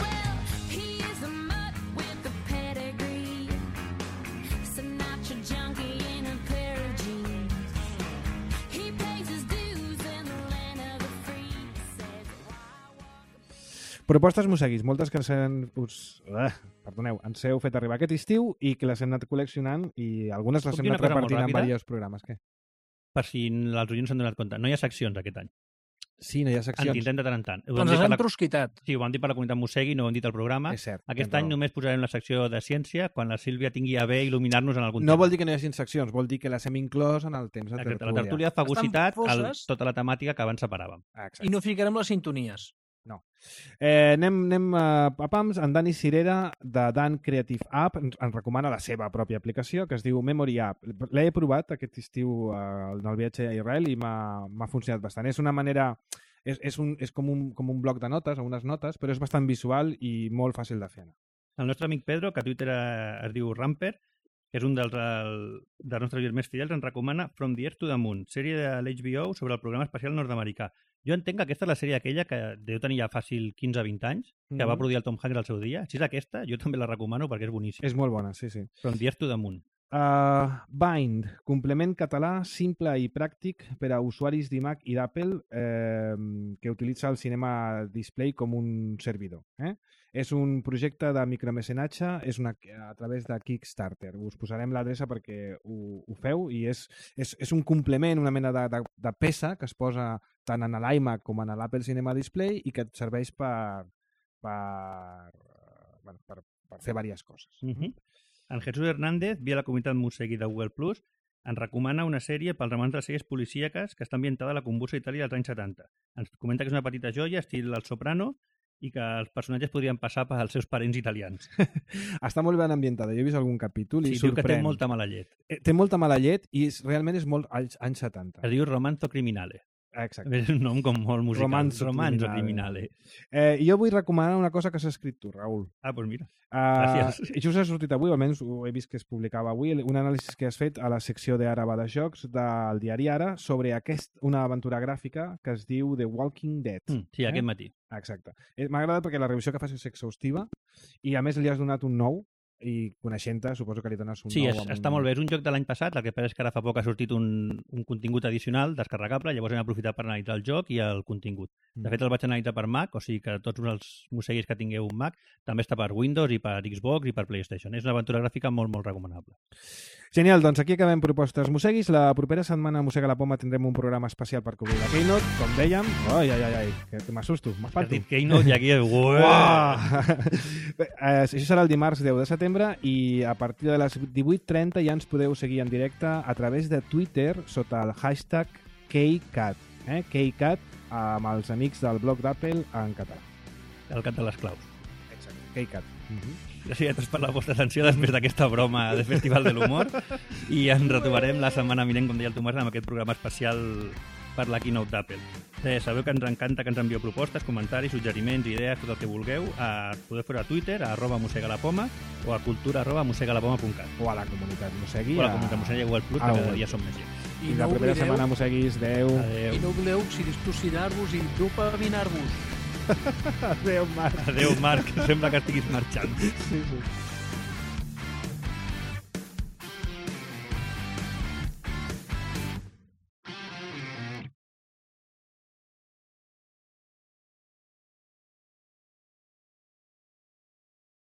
Well, he is a mutt with a pedigree, Sinatra junkie in a pair of jeans. He pays his dues in the land of the free. Says, why walk Propostes mosseguis, moltes que ens, han, us, uh, perdoneu, ens heu fet arribar aquest estiu i que les hem anat col·leccionant i algunes les Puc hem dir una anat cosa molt repartint en ràpida? diversos programes. Què? Per si els oients s'han donat compte. No hi ha seccions aquest any. Sí, no hi ha En seccions. tindrem de tant en tant. Ho vam Doncs dir les per han la... prosquitat. Sí, ho vam dir per la comunitat Mossegui, no ho hem dit al programa. És cert. Aquest tens any raó. només posarem la secció de ciència quan la Sílvia tingui a bé il·luminar-nos en algun No tema. vol dir que no hi hagi seccions, vol dir que les hem inclòs en el temps de Exacte, tertúlia. la tertúlia de fagocitat, Estan el, foses. tota la temàtica que abans separàvem. Ah, exacte. I no ficarem les sintonies. Eh, anem anem a, a Pams. En Dani Cirera, de Dan Creative App, ens, ens recomana la seva pròpia aplicació, que es diu Memory App. L'he provat aquest estiu eh, en el viatge a Israel i m'ha m'ha funcionat bastant. És una manera... És, és, un, és com, un, com un bloc de notes o unes notes, però és bastant visual i molt fàcil de fer. El nostre amic Pedro, que a Twitter eh, es diu Ramper, que és un dels, el, dels nostres oients més fidels, ens recomana From the Earth to the Moon, sèrie de l'H B O sobre el programa espacial nord-americà. Jo entenc que aquesta és la sèrie aquella que deu tenir ja fàcil quinze o vint anys, que Mhm. va produir el Tom Hanks al seu dia. Si és aquesta, jo també la recomano perquè és boníssima. És molt bona, sí, sí. From the Earth to the Moon. Uh, Bind, complement català simple i pràctic per a usuaris d'iMac i d'Apple eh, que utilitza el Cinema Display com un servidor. Eh? És un projecte de micromecenatge, és una, a través de Kickstarter. Us posarem l'adreça perquè ho, ho feu i és, és, és un complement, una mena de, de, de peça que es posa tant en l'iMac com en l'Apple Cinema Display i que et serveix per, per, bueno, per, per fer diverses coses. Uh -huh. En Jesús Hernández, via la comunitat Mossegui de Google Plus, ens recomana una sèrie pels amants de sèries policíaques que està ambientada a la convulsa Itàlia dels anys setanta. Ens comenta que és una petita joia, estil El Soprano, i que els personatges podrien passar pels seus parents italians. Està molt ben ambientada. Jo he vist algun capítol i Sí, diu que té sorprèn. molta mala llet. Eh, Té molta mala llet i és, realment és molt anys, anys setanta. Es diu Romanzo Criminale. Exacte. És un nom com molt musical. Romanzo Romanzo Criminale. Criminale. Eh, jo vull recomanar una cosa que s'ha escrit tu, Raül. Ah, doncs mira. Uh, Gràcies. just ha sortit avui, almenys ho he vist que es publicava avui, un anàlisi que has fet a la secció d'Ara va de jocs del diari Ara sobre aquest, una aventura gràfica que es diu The Walking Dead. Mm, sí, aquest matí. Exacte. Eh, M'ha agradat perquè la revisió que fas és exhaustiva i a més li has donat un nou i coneixent-te suposo que li dones un Sí, nou. és, amb està un... molt bé. És un joc de l'any passat, el que passa és que ara fa poc ha sortit un, un contingut addicional descarregable, llavors hem aprofitat per analitzar el joc i el contingut. De fet, el vaig analitzar per Mac, o sigui que tots els mosseguis que tingueu un Mac també està per Windows i per Xbox i per PlayStation. És una aventura gràfica molt, molt recomanable. Genial, doncs aquí acabem propostes mosseguis. La propera setmana a Mossega la Poma tindrem un programa especial per cobrir la Keynote, com dèiem. Ai, ai, ai, ai, que m'assusto, Has m'espanto. dit Keynote i aquí... Ué! Uah! eh, això serà el dimarts deu de setembre i a partir de les divuit trenta ja ens podeu seguir en directe a través de Twitter sota el hashtag KeyCat. Eh? KeyCat amb els amics del blog d'Apple en català. El cat de les claus. Exacte, KeyCat. Uh -huh. Gràcies a tots per la vostra atenció després d'aquesta broma de Festival de l'Humor i ens retrobarem la setmana vinent, com deia el Tomàs, amb aquest programa especial per la Keynote d'Apple. Eh, sabeu que ens encanta que ens envieu propostes, comentaris, suggeriments, idees, tot el que vulgueu. A, podeu fer a Twitter, a arroba mossegalapoma o a cultura arroba mossegalapoma punt cat. O a la comunitat Mossegui. O a la comunitat Mossegui Google Plus, que Ah, cada Google. dia som més gent. I la propera setmana Mosseguis, adeu. Adéu. I no oblideu oxidinar-vos i dopaminar-vos. Adeu, Marc. Adéu, Marc. Sembla que estiguis marxant. Sí, sí.